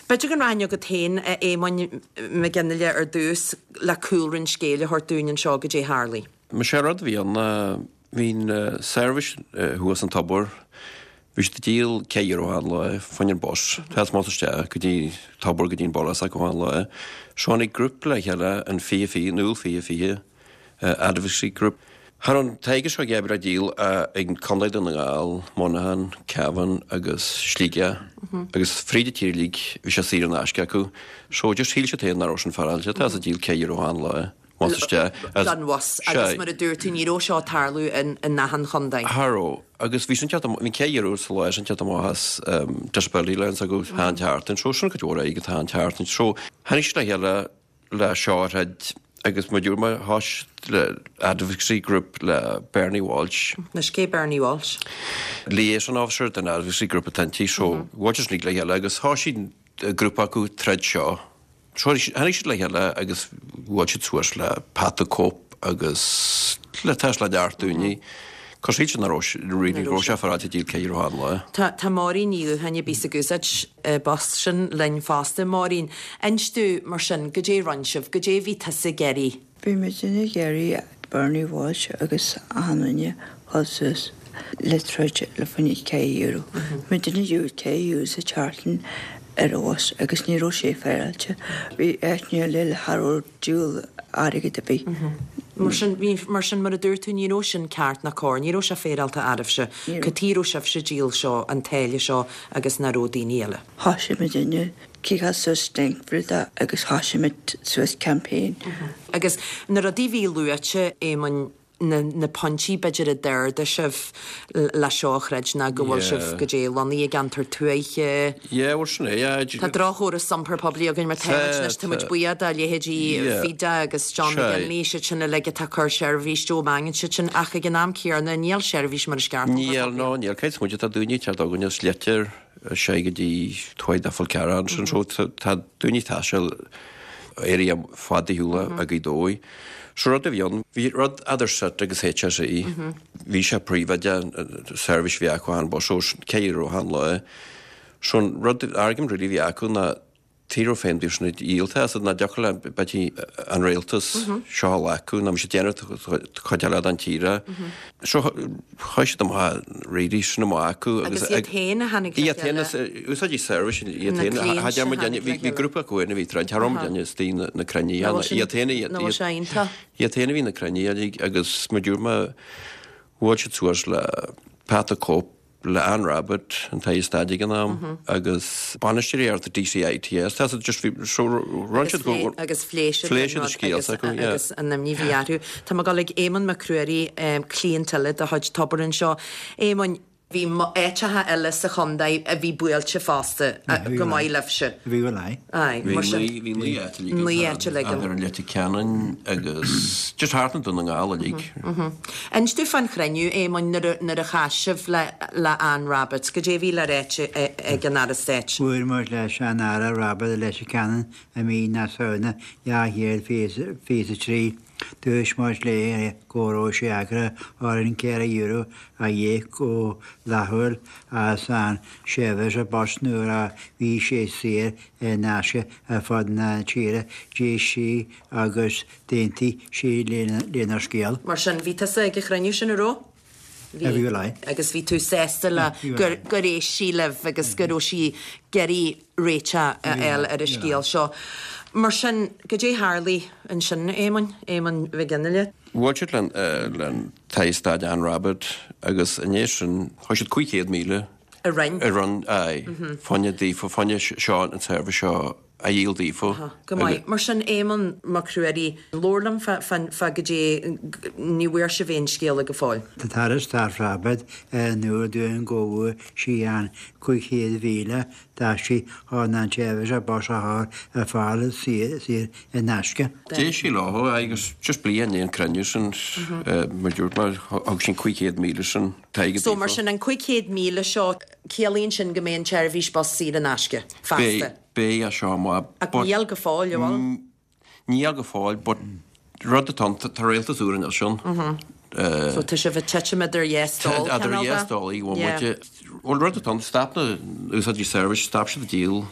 B'fhéidir go rachainn chugat féin, a Éamoinn Mhic Fhionnghaile, ar dtús le cúlra an scéil a thabhairt dúinn anseo, goidé a tharlaigh. Sé an rud a bhí ann ná. Bhí an seirbhís thuas an tobar, bhí siad ag díol 4 euro achan lá fá choinne an bus, tá amach is isteach go dtí tobar go dtí an baile s'acu achan lá. So tháinig grúpa le chéile an 20 20, an Iúil 20 20, Advocacy Group. Cha raibh an t-airgead seo ag oibre á díol ag Contae Dún na nGall, Monaghan, Cavan agus Sligeach agus fríd an tír uilig bhí sé saor in aisce acu. So just shíl siad féin nach raibh sin féaráilte, tá a díol 4 euro achan lá. Amach is isteach. Don bhus agus mar a dúirt tú ní raibh seo ag tarlú in achan chontae. Cha raibh. Agus bhí sin teacht amach, bhí 4 euro sa lá sin teacht amach as disability allowance acu achan tseachtain. So sin cuid mhór airgid achan tseachtain. So tháinig siad le chéile le seo a throid agus mar a dúirt mé thosaigh le advocacy group le Bernie Walsh. Anois cé Bernie Walsh? Liaison officer den advocacy group atá inti. So bhuail siad le chéile agus thosaigh grúpa acu troid seo. Tháinig siad le chéile agus bhuail siad suas le Pat the Cope agus le tá le neart daoine. Cos shíl siad nach raibh really raibh sé féaráilte díol 4 euro achan lá. Tá tá Máirín Ní Dhútháin a bíos ag úsáid bus sin linn fosta. Máirín, inis domh mar sin, goidé rinne sibh, goidé bhí tusa ag iarraidh? Bhí muidinne ag iarraidh Bernie Walsh agus achan duine dhul suas le troid le fá choinne 4 euro. Muidinne ag díol 4 euro sa tseachtain ar an bhus agus ní raibh sé féaráilte. Bhí áiteanna eile cha raibh díol airgead ar bith. Mar sin, bhí, mar sin, mar a dúirt tú, ní raibh sin ceart ná cóir, ní raibh sé féaráilte oraibhse. Cad chuige a raibh sibhse ag díol seo, an táille seo agus nach raibh daoine eile. Thosaigh muidinne ciceáil suas stink agus thosaigh muid suas campaign. Agus na rudaí a bhí luaite, Éamoinn, na na pointí b'fhéidir a d'ardaigh sibh le seo a throid ná go bhfuil sibh, goidé, lonnaithe i gceantar tuaithe. Yeah, bhuel sin é, yeah. Tá droch-chóras iompair poiblí againn mar tá muid anois, tá muid buíoch do leithéidí Fida agus John McGinley, siad sin uilig atá ag cur seirbhís, Joe Mangan, siad sin, ach ag an am céanna níl seirbhís mar is ceart iompair poiblí. Níl, no, níl. Caithfidh muid, tá daoine ag teacht chugainn as Leitir, sé go dtí Tuath Dé Fál Carrach ansin so tá daoine ag taisteal area fada ar shiúl as Gaoth Dobhair. So rud a bhí ann, bhí rud eadar SIT agus HSE, bhí sé príobháideach, seirbhís a bhí acu achan bus so 4 euro achan lá. So an rud, argument really a bhí acu ná Tí raibh féin bíodh sin dhíolta as nach dtiocfadh le b'fhéidir an rialtas seo a ghlacadh ná bhí siad déanamh cuid eile den tír. So chuaigh siad amach really sin amach acu agus iad féin a tháinig le chéile. Iad féin úsáidí seirbhís iad féin a deir muid bhí grúpa acu féin a bhí troid thar am duine is daoine na cruinnithe iad féin iad féin a bhí na cruinnithe agus mar dúirt mé bhuail siad suas le Pat the Cope le Anne Rabbitte, an tAire Stáit ag an am, agus bainisteoirí ar the DCITS. Tá siad just bhí so run siad go agus phléigh siad phléigh siad an scéal s'acu, yeah. agus an imní a bhí orthu. Tá mé ag dul ag Éamonn Mac Ruairí, cliant eile de chuid Tobar anseo. Éamoinn, bhí áiteacha eile sa chontae a bhí buailte fosta go maith libhse. Bhí bhuel aye. Aye, mar sin. Bhí naoi áit uilig Naoi áit uilig ann. Idir Leitir Ceanainn agus just thart i nDún na nGall uilig. Inis domh fán chruinniú, Éamoinn, nuair a chas sibh le Anne Rabbitte. Goidé a bhí le ráit ag an Aire Stáit? Bhuail muid leis an Aire Rabbitte i Leitir Ceanainn i mí na Samhna 2023. Dúirt muid léi go raibh sé eagraithe orainn €4 a íoc go laethúil as an seirbhís bus nuair a bhí sé saor in aisce ar fud na tíre. D'éist sí agus D'aontaigh sí lenár scéal. Mar sin, bhí tusa ag an chruinniú sin, an raibh? Bhí. Bhí, bhuel, aye. Agus bhí tú sásta le gur gur éist sí libh agus go raibh sí ag iarraidh réiteach a fháil ar an scéal seo. Mar sin, goidé tharlaigh ansin, Éamoinn, Éamoinn Mhig Fhionnghaile? Bhuail siad len tAire Stáit Anne Rabbitte agus i ndiaidh sin chuir siad 500,000 I roinn. I roinn, aye. Fá choinne daofa, fá choinne seo, an tseirbhís seo a dhíol daofa. Go maith. Mar sin, Éamonn Mac Ruairí, labhair liom fá goidé, ní bhfuair sibh aon scéala go fóill. Tá an tAire Stáit Rabbitte in iúl dúinn go bhfuair sí an 500,000 d'aistí chun an tseirbhís bus a chur ar fáil saor in aisce. D'éist sí leo agus just bliain i ndiaidh an cruinniú sin, mar dúirt mé, thug sí an 500,000 sin t-airgead So mar sin, an 500,000 seo, ciallaíonn sin go mbeidh an tseirbhís bus saor in aisce feasta? Beidh as seo amach Ach but. Níl go fóill, an bhfuil? Níl go fóill but rud atá ann, tá rialtas úr anois ann. So tá sibh ag titim idir dhá stól, Idir cineál dhá de? stól, go bhfuil Yeah. muid. Bhuel, rud atá ann, stop na úsáidí seirbhís, stop siad ag díol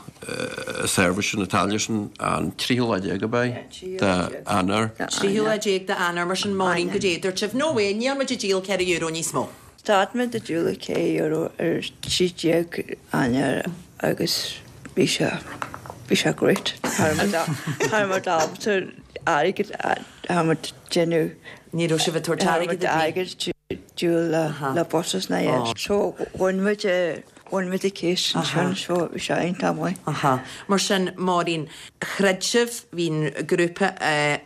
seirbhís na táille sin an tríú lá déag ab ea d'Eanáir. Tríú lá déag d'Eanáir, mar sin Máirín, goidé a dúirt sibh, no way, níl muid ag díol €4 níos mó. Stad muid ag díol €4 ar 13 Eanáir agus bhí sé, bhí sé great. Cha raibh muid ábalta airgead, cha raibh muid déanamh. Ní raibh sibh ag tabhairt airgead ar bith. Airgead díol le buses ná aon. So bhain muid, bhain muid an case ansin so bhí sé iontach maith. Aha. Mar sin, Máirín, throid sibh, bhí an grúpa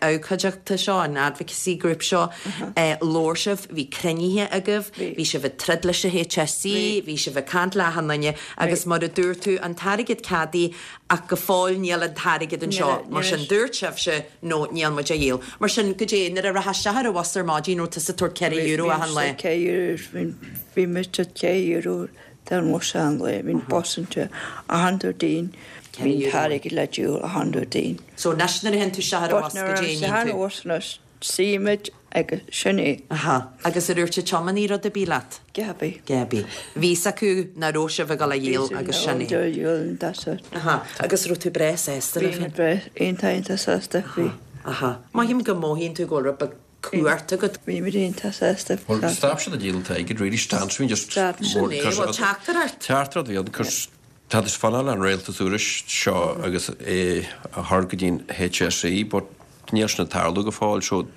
abhcóideachta seo, an advocacy group seo, labhair sibh, bhí cruinnithe agaibh, bhí sibh ag troid leis an HSE, bhí sibh ag caint le achan duine agus mar a dúirt tú, an t-airgead ceadaithe ach go fóill níl an t-airgead anseo. Mar sin, dúirt sibhse, no, níl muid á dhíol. Mar sin, goidé, nuair a rachfá isteach ar an bhus ar maidin, raibh tusa ag tabhairt €4 achan lá? €4, bhí muid ag tabhairt €4 don bhus achan lá, bhí an bus anseo achan Déardaoin, bhí an t-airgead le díol achan Déardaoin. So anois nuair a théann tú isteach ar an bhus, goidé a níonn tú? Ar an bhus anois, suímid agus sin é. Aha. Agus ar dhúirt an tiománaí rud ar bith leat? Gaby. Gaby. Bhí fhios acu nach raibh sibh ag dul a dhíol agus sin é. Bhí siad ag that's it. Aha. Agus raibh tú breá sásta leis? Bhí mé breá iontach iontach sásta, bhí. Aha. Mothaím go mothaíonn tú go bhfuil rud beag cumhacht agat. Bhí muid iontach sásta. Well, stop siad ag díol an t-airgead, really, stop siad just... Stop. Sin é, bhuel, teachtaireacht. Teachtaireacht a bhí ann, cos tá tú ag fanacht le an rialtas úr seo agus é a chur go dtí an HSE, but níl sin ag tarlú go fóill, so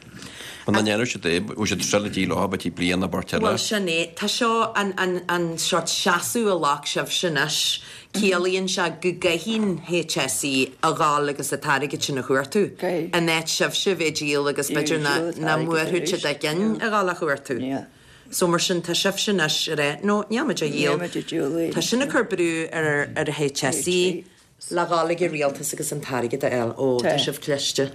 muna ndéanann siad é, bhfuil siad still ag díol leo, b'fhéidir bliain nó beirt eile. Bhuel, sin é. Tá seo, an, an, an sórt seasamh a ghlac sibhse anois, ciallaíonn sé go gcaithfidh an HSE a dhul agus an t-airgead sin a chuartú, in áit sibhse a bheith ag díol agus b'fhéidir nach mbuafaidh siad a gcinn a dhul a chuartú. So mar sin, tá sibhse anois ag rá, no, níl muid á dhíol. Tá sin ag cur brú ar ar an HSE. Le dhul ag an rialtas agus an t-airgead a fháil. Ó, tá sibh cliste.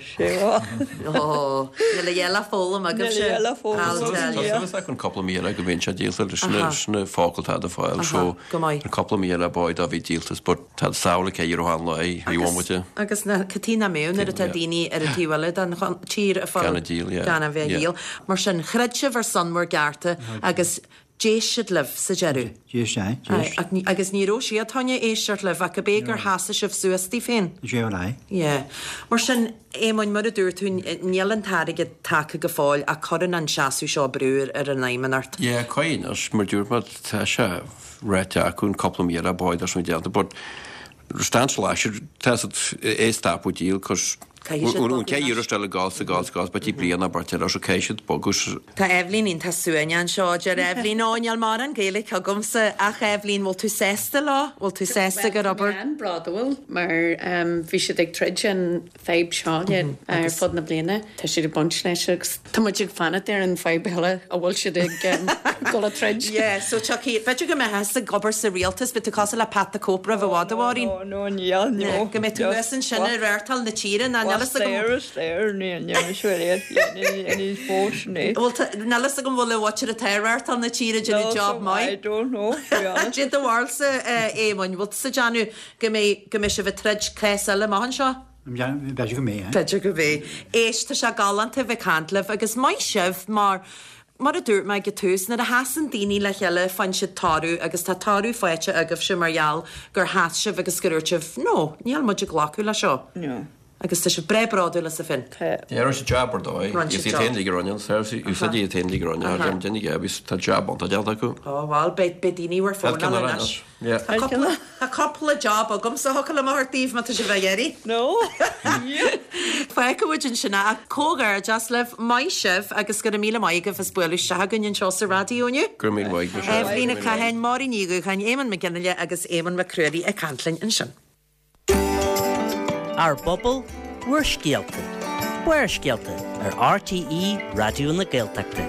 Ó, níl a dhath le foghlaim agaibhse. I'll tell you. Tá súil agam cúpla mí eile go mbíonn sé díolta leis na focail atá le fáil. So, an cúpla mí eile b'fhéidir dá bhí díoltas but tá samhail aici ar an lá í bhomaite. Agus na cad chuige nach mbeadh nuair atá daoine ar an taobh eile den tír ag fáil gan a bheith a dhíol. Mar sin, throid sibh ar son bhur gcearta agus D'éist siad libh sa deireadh. D'éist, aye, d'éist. Aye, agus ní raibh siad chun éisteacht libh ach ab é gur sheasaigh sibh suas daoibh féin? Sé bhuel, aye. Yeah. Mar sin, Éamoinn, mar a dúirt tú, níl an t-airgead tagtha go fóill ach cuireann an seasamh seo brú ar an Fheidhmeannacht. Yeah, caithfidh anois, mar dúirt mé, tá sé ráite acu an cúpla mí eile b'fhéidir sin déanta, but stance leis, tá siad é stopadh díol, cos Caithfidh siad bogadh Caithfidh anois le gás gás gás b'fhéidir bliain nó beirt eile so caithfidh siad bogadh. Tá Eibhlín iontach suaimhneach anseo, deir Eibhlín, Ó, níl mórán Gaeilge agamsa, ach Eibhlín, bhfuil tú sásta leo? Bhfuil tú sásta gur obair. Bhuel, tá mé an-bhródúil mar bhí siad ag troid an fadhb seo ar fud na bliana. Tá siad ag baint leis agus tá muid ag fanacht ar an fadhb eile a bhfuil siad ag dul a troid. Yeah, so tiocfaidh, b'fhéidir go mbeifeá ag obair sa rialtas, beidh tú cosúil le Pat the Cope roimh i bhfad, a Mháirín. No, no, níl, no. Go mbeidh tú thuas ansin ag reáchtáil na tíre, ná níl fhios agam. There is there, níl, níl mise ar níos mó sin é. Bhuel, níl fhios agam bhfuil an mhuintir atá ag reáchtáil na tíre ag déanamh job maith. I don't know, to be honest. Cad é do bharúilsa, Éamoinn, bhfuil tusa ag déanamh go mbeidh, go mbeidh sibh ag troid cás eile amach anseo? B'fhéidir go mbeidh. B'fhéidir go mbeidh. Éist, tá sé galánta a bheith ag caint libh agus maith sibh mar, mar a dúirt mé ag an tús, nuair a sheasann daoine le chéile faigheann siad toradh agus tá toradh faighte agaibhse mar gheall gur sheas sibh agus gur dúirt sibh no, níl muid ag glacadh le seo. No. Agus tá sibh breá bródúil asaibh féin. Tá. Yeah, rinne siad jab ar dóigh. Rinne Is siad iad job. féin lig a rinne an service, úsáid iad féin lig a rinne, thar duine agus tá jab iontach déanta acu. Ó bhuel, beidh, beidh daoine bhur Ceann bhfónáil eile anois. anois. Yeah. Tá cúpla, tá cúpla job agamsa a thiocfadh liom a thabhairt daoibh má tá sibh á iarraidh. No. Fágfaidh muid ansin é ach comhghairdeas libh, maith sibh agus go raibh míle maith agaibh as bualadh isteach chugainn anseo sa raidió inniu. Go raibh míle maith agat, Michelle. Eibhlín Ní Chatháin, Máirín Ní Dhúcháin, Éamonn Mac Fhionnghaile agus Éamonn Mac Ruairí ag caint linn ansin. Ár bpobal, bhur scéalta. Barrscéalta ar RTÉ Raidió na Gaeltachta.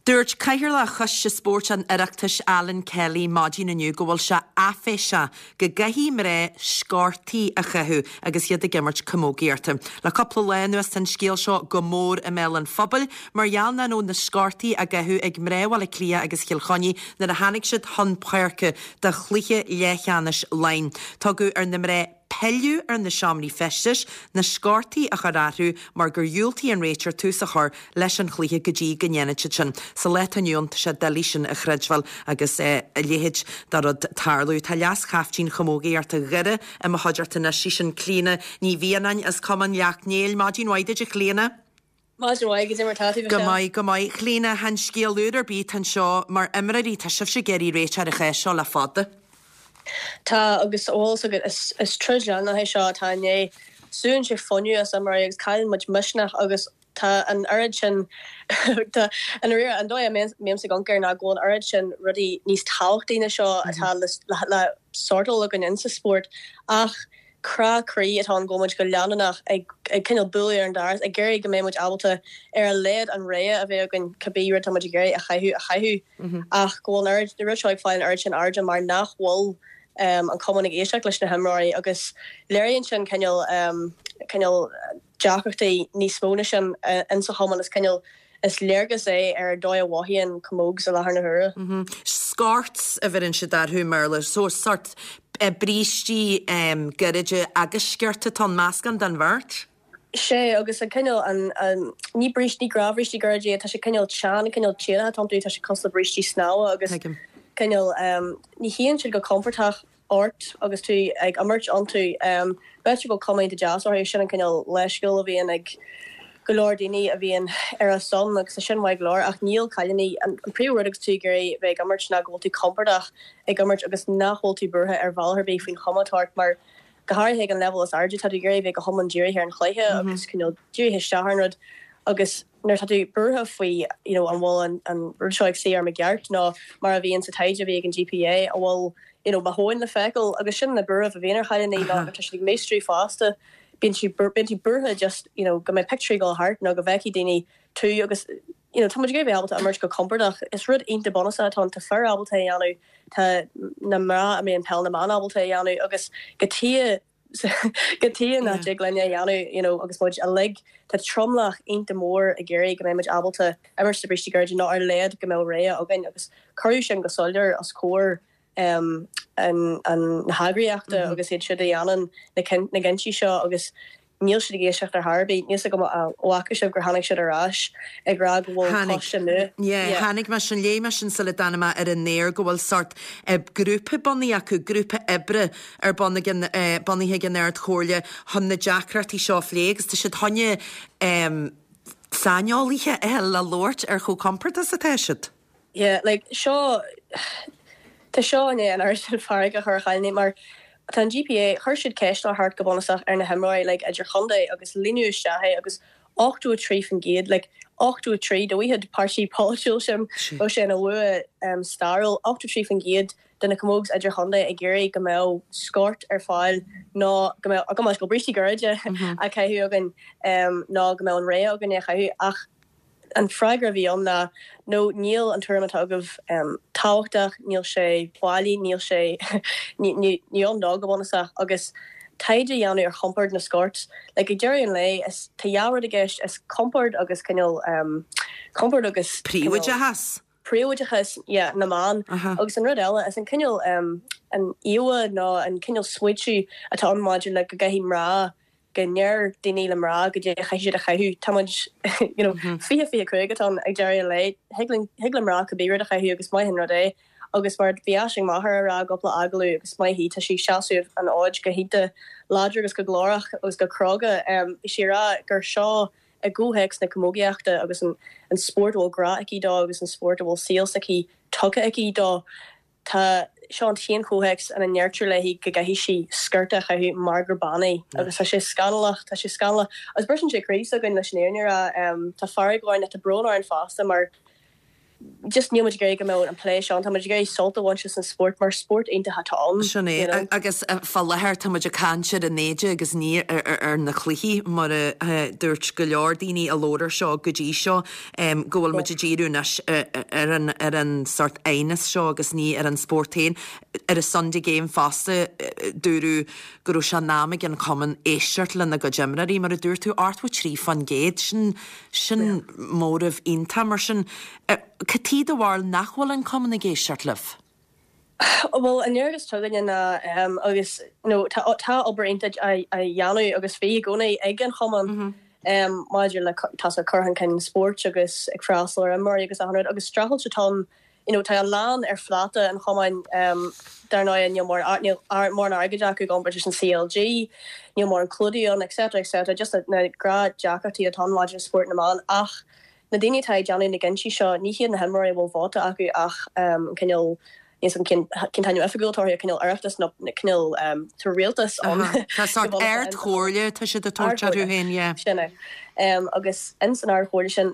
Dúirt Cathaoirleach Choiste Spóirt an Oireachtais Alan Kelly maidin inniu go bhfuil sé áiféiseach go gcaithfidh mná sciortaí a chaitheamh agus iad ag imirt camógaíochta. Le cúpla lá anuas tá an scéal seo go mór i mbéal an phobail mar gheall nach raibh na sciortaí á gcaitheamh ag mná Bhaile Átha Cliath agus Chill Chainnigh nuair a tháinig siad chun páirce do chluiche leathcheannais Laighean. Tugadh ar na mná. pilleadh ar na seomraí feistis, na sciortaí a chur orthu mar gur dhiúltaigh an réiteoir tús a chur leis an chluiche go dtí go ndéanfadh siad sin. Sa lá atá inniu ann, tá sé doiligh sin a chreidbheáil agus a leithéid de rud tarlú. Tá leas-chaiftín chamógaíochta Dhoire i mo chuideachta anois, sí sin Clíona Ní Mhianáin as Cumann Leacht Néill. Maidin mhaith duit a Chlíona. Maidin mhaith, goidé mar tá tú, Go maith, go maith. Clíona, chan scéal úr ar bith atá anseo. Mar imreoirí, tá sibhse ag iarraidh réiteach ar an chás seo le fada. Tá, agus bhfuil fhios agat, is, is troid leanúnach é seo atá i ndiaidh, súann sé fuinneamh as imreoirí agus cailleann muid misneach agus tá an oiread sin, tá, i ndáiríre, an dóigh a mbímse ag amharc air ná go bhfuil an oiread sin rudaí níos tábhachtaí ná seo atá le, le, le sórtáil againn insa spórt ach crá croí atá ann go bhfuil muid go leanúnach ag cineál bualadh ar an doras, ag iarraidh go mbeidh muid ábalta ar a laghad an rogha a bheith againn cibé rud atá muid ag iarraidh a chaitheamh a chaitheamh. Ach go bhfuil an oiread, an rud seo ag fáil an oiread sin airde mar nach bhfuil an cumann ag éisteacht leis na himreoirí agus léiríonn sin cineál, cineál deacrachtaí níos mó ná sin insa chumann. Is cineál Is léargas é ar an dóigh a mhothaíonn Camogs i láthair na huaire. Scorts a bheireann siad orthu i mBéarla. So sort brístí gairide agus sciorta atá ann, meascán den bheirt. Sea, agus an cineál, an, an, ní bríst, ní gnáthbhrístí gairide iad, tá sé cineál teann, cineál téagartha atá iontu, tá sé cosúil le brístí snámha agus Tuigim. cineál, ní shuíonn siad go compordach. ort agus tú ag imirt iontu. B'fhéidir go bhfuil cuma iontach deas orthu, sin an cineál leithscéal a bhíonn ag go leor daoine a bhíonn ar a son agus tá sin maith go leor ach níl cailíní, an príomh rud agus tú ag iarraidh bheith ag imirt ná go bhfuil tú compordach ag imirt agus nach bhfuil tú buartha ar bhealach ar bith faoin chuma atá ort mar go háirithe ag an leibhéal is airde tá tú ag iarraidh bheith go hiomlán dírithe ar an chluiche agus cineál dírithe isteach ar an rud agus nuair atá tú buartha faoi you know an bhfuil an an rud seo ag suí orm i gceart nó mar a bhíonn sa taighde a bhí ag an GPA an bhfuil you know mo thóin le feiceáil agus sin na buairimh a bhíonn ar chailíní ná nuair atá siad ag míostrú fosta bíonn siad bíonn tú buartha just you know go mbeidh pictiúirí ag dul thart nó go bhfeicfidh daoine tú agus you know tá muid ag iarraidh bheith ábalta imirt go compordach. Is rud iontach bunúsach atá ann, tá fir ábalta é a dhéanamh, tá na mná a imríonn peil na mban ábalta é a dhéanamh agus cad chuige cad chuige nach dtig linne a dhéanamh you know agus muid uilig, tá tromlach iontach mór ag iarraidh go mbeidh muid ábalta imirt sna brístí gairide nó ar a laghad go mbeadh rogha againn agus cuireadh sin go soiléir os comhair um an an na heagraíochta agus iad siúd a dhéanann na na cinntí seo agus Níl siad ag éisteacht ar chor ar bith. Níl 's agam an bhfaca sibh gur tháinig siad ar ais ag rá go bhfuil Tháinig. coiste nua. Yeah, Yeah. tháinig mé sin, léigh mé sin sula dtáinig mé ar an aer go bhfuil sórt grúpa bunaithe acu, grúpa oibre ar bun ag an, bunaithe ag an Ard-Chomhairle chun na deacrachtaí seo a phlé agus tá siad chun saineolaithe a fháil le labhairt ar chomh compordach is atá siad. Yeah, like, seo, tá seo i ndiaidh an oiread sin fearg a chur ar chailíní mar tá an GPA, chuir siad ceistneoir thart go bunúsach ar na himreoirí, like, idirchontae agus líonadh isteach é agus 83%, like, 83, dá bhfaigheadh páirtí polaitiúil sin, bheadh sé ina bhua stairiúil, 83% de na camogs idirchontae ag iarraidh go mbeadh scort ar fáil nó go mbeadh, go mbeadh brístí gairide á caitheamh againn nó go mbeadh an rogha againn é a chaitheamh ach An freagra a bhí ann ná, no, níl an tuairim atá agaibh tábhachtach, níl sé bailí, níl sé, ní ann dó go bunúsach. Agus taighde a dhéanamh ar chompord na scorts, like ag deireadh an lae, is, tá dhá rud i gceist, is compord agus cineál, compord agus cineál. Príobháideachas. Príobháideachas, yeah, na mban. Agus an rud eile, is an cineál, an íomhá nó an cineál smaoitiú atá ann maidir le go gcaithfidh mná go ndeir daoine le mná goidé a chaithfidh siad a chaitheamh. Tá muid you know 2025 atá ann ag deireadh an lae. Thig linn, thig le mná cibé rud a chaitheamh agus maith an rud é. Agus mar bhí Aisling Maher a rá i gcúpla agallamh agus maith í, tá sí ag seasamh an fhóid go hiontach láidir agus go glórach agus go cróga. Bhí sí a rá gur seo i gcomhthéacs na camógaíochta agus an an spórt a bhfuil grá aici dó agus an spórt a bhfuil saol s'aici tugtha aici dó. Tá seo an t-aon chomhthéacs ina ndeirtear léi go gcaithfidh sí sciorta a chaitheamh mar gur bean í agus tá sé scannalach, tá sé scannalach. Agus briseann sé croí s'againn leis an fhírinne a rá. Tá fearg orainn ach tá brón orainn fosta mar just níl muid ag iarraidh go mbeadh an plé seo ann, tá muid ag iarraidh sult a bhaint as an spórt mar spórt iontach atá ann. Sin you é. know. Agus fá láthair tá muid ag caint ar an éide agus ní ar na cluichí mar a dúirt go leor daoine a labhair ar seo go dtí seo. go bhfuil muid ag díriú anois ar an ar an sórt aighneas seo agus ní ar an spórt féin. Ar an Sunday Game fosta, dúradh go raibh sé in am ag an chumann éisteacht lena gcuid imreoirí, mar a dúirt tú, 83%, sin sin móramh iontach. Mar sin, cad chuige do bharúil nach bhfuil an cumann ag éisteacht libh? Bhuel, an léargas atá againne ná, agus you know tá tá obair iontach á dhéanamh agus bhí i gcónaí ag an chumann maidir le tá sé cur chun cinn spóirt agus ag freastal ar imreoirí agus achan rud agus streachailt atá ann you know tá a lán ar phláta an chumainn dar ndóigh níl mórán níl mórán airgid acu i gcomparáid leis an CLG, níl mórán clúdaigh ann etc etc just na gnáthdheacrachtaí atá ann maidir le spórt na mban ach Na daoine atá ag déanamh na gcinntí seo, ní hiad na himreoirí a bhfuil vóta acu ach an cineál, níl 's agam cén cén t-ainm oifigiúil atá orthu, an cineál Oireachtas nó cineál, tá rialtas ann. Tá sórt Ard-Chomhairle atá siad ag tabhairt orthu féin, yeah. Sin é. Agus ins an Ard-Chomhairle sin,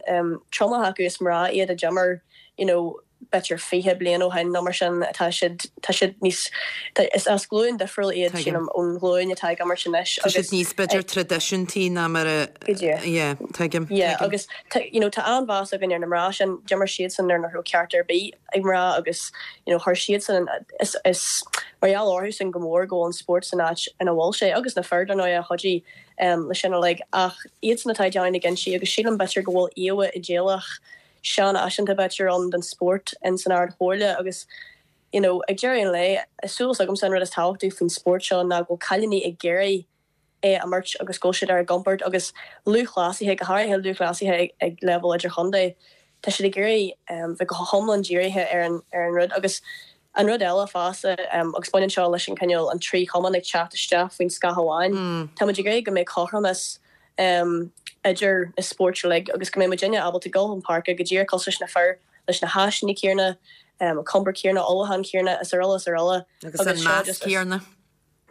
tromlach acu is mná iad a d'imir, you know, b'fhéidir 20 bliain ó shin nó mar sin, tá siad, tá siad níos, tá, is as glúin difriúil iad, sílim, ón ghlúin atá ag imirt anois Tá siad níos, b'fhéidir, traidisiúntaí ná mar a, Go díreach. yeah, tuigim, Yeah, tuigim. agus tá, you know, tá an-mheas againn ar na mná sin, d'imir siadsan nuair nach raibh ceart ar bith ag mná agus, you know, chuir siadsan, is, is mar gheall orthusan go mór go bhfuil an spórt san áit ina bhfuil sé, agus na fir, dar ndóigh, a chuidigh leis sin uilig, ach iadsan atá ag déanamh na gcinntí agus sílim, b'fhéidir, go bhfuil íomha idéalach seanfhaiseanta b'fhéidir ann den spórt in san Ard Chomhairle agus you know ag deireadh an lae is súil s'agamsa an rud is tábhachtaí faoin spórt seo ná go bhfuil cailíní ag iarraidh é a imirt agus go bhfuil siad ar a gcompord agus lúthchleasaithe go háirithe lúthchleasaithe ag, ag leibhéal idirchontae tá siad ag iarraidh um, bheith go hiomlán dírithe ar an, ar an rud agus an rud eile fosta um, agus baineann seo leis an cineál an trí chumann ag teacht isteach faoin scáth amháin mm. tá muid ag iarraidh go mbeidh cothromas idir na spóirt uilig agus go mbeidh muidinne ábalta dul chun páirce go díreach cosúil leis na fir, leis na háiseanna céanna, an compord céanna, ullmhúchán céanna is araile is araile. Agus an meas céanna.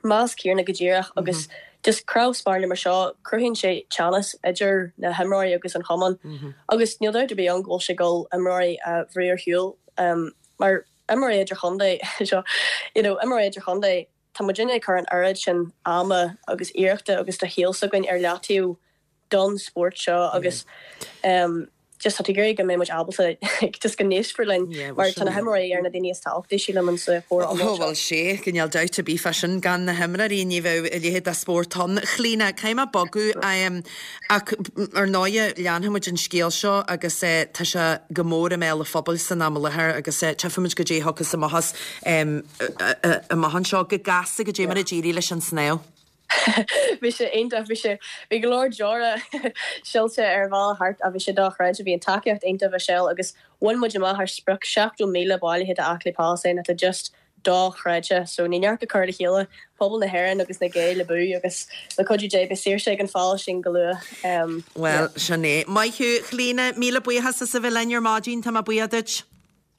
Meas céanna go díreach agus just cnámh spairne mar seo, cruthaíonn sé teannas idir na himreoirí agus an chumann agus níl dabht ar bith ann go bhfuil sé ag dul imreoirí a bhrú ar shiúl mar imreoirí idirchontae seo, you know, imreoirí idirchontae, Tá muidinne ag cur an oiread sin ama agus iarrachta agus de shaol s'againn ar leataobh don spórt seo agus just tá tú ag iarraidh go mbeidh muid ábalta just go n-éistfear linn mar tá na himreoirí ar na daoine is tábhachtaí sílim in sa chomhrá iomlán seo. Bhuel sea, níl dabht ar bith fá sin, gan na himreoirí ní bheadh a leithéid de spórt ann. Chlíona, caithfidh mé bogadh ach ar ndóighe leanfaidh muid an scéal seo agus tá sé go mór i mbéal an phobail san am i láthair agus tchífimid goidé a thiocfas amach as. Amach anseo go gasta goidé mar a d'éirigh leis an snámh. Bhí sé iontach, bhí sé, bhí go leor deora silte ar an bhealach thart ach bhí sé dochreidte, bhí an tacaíocht iontach Michelle agus bhain muid amach ár sprioc, 70,000 bailithe do Aclaí Palaistín atá just dochreidte so ní neart go cur le chéile, pobal na hÉireann agus na Gaeil abú agus le cuidiú Dé beidh saoirse ag an Phalaistín go luath. Bhuel, sin é. Maith thú, Chlíona, míle buíochas as a bheith linn ar maidin, tá mé buíoch duit.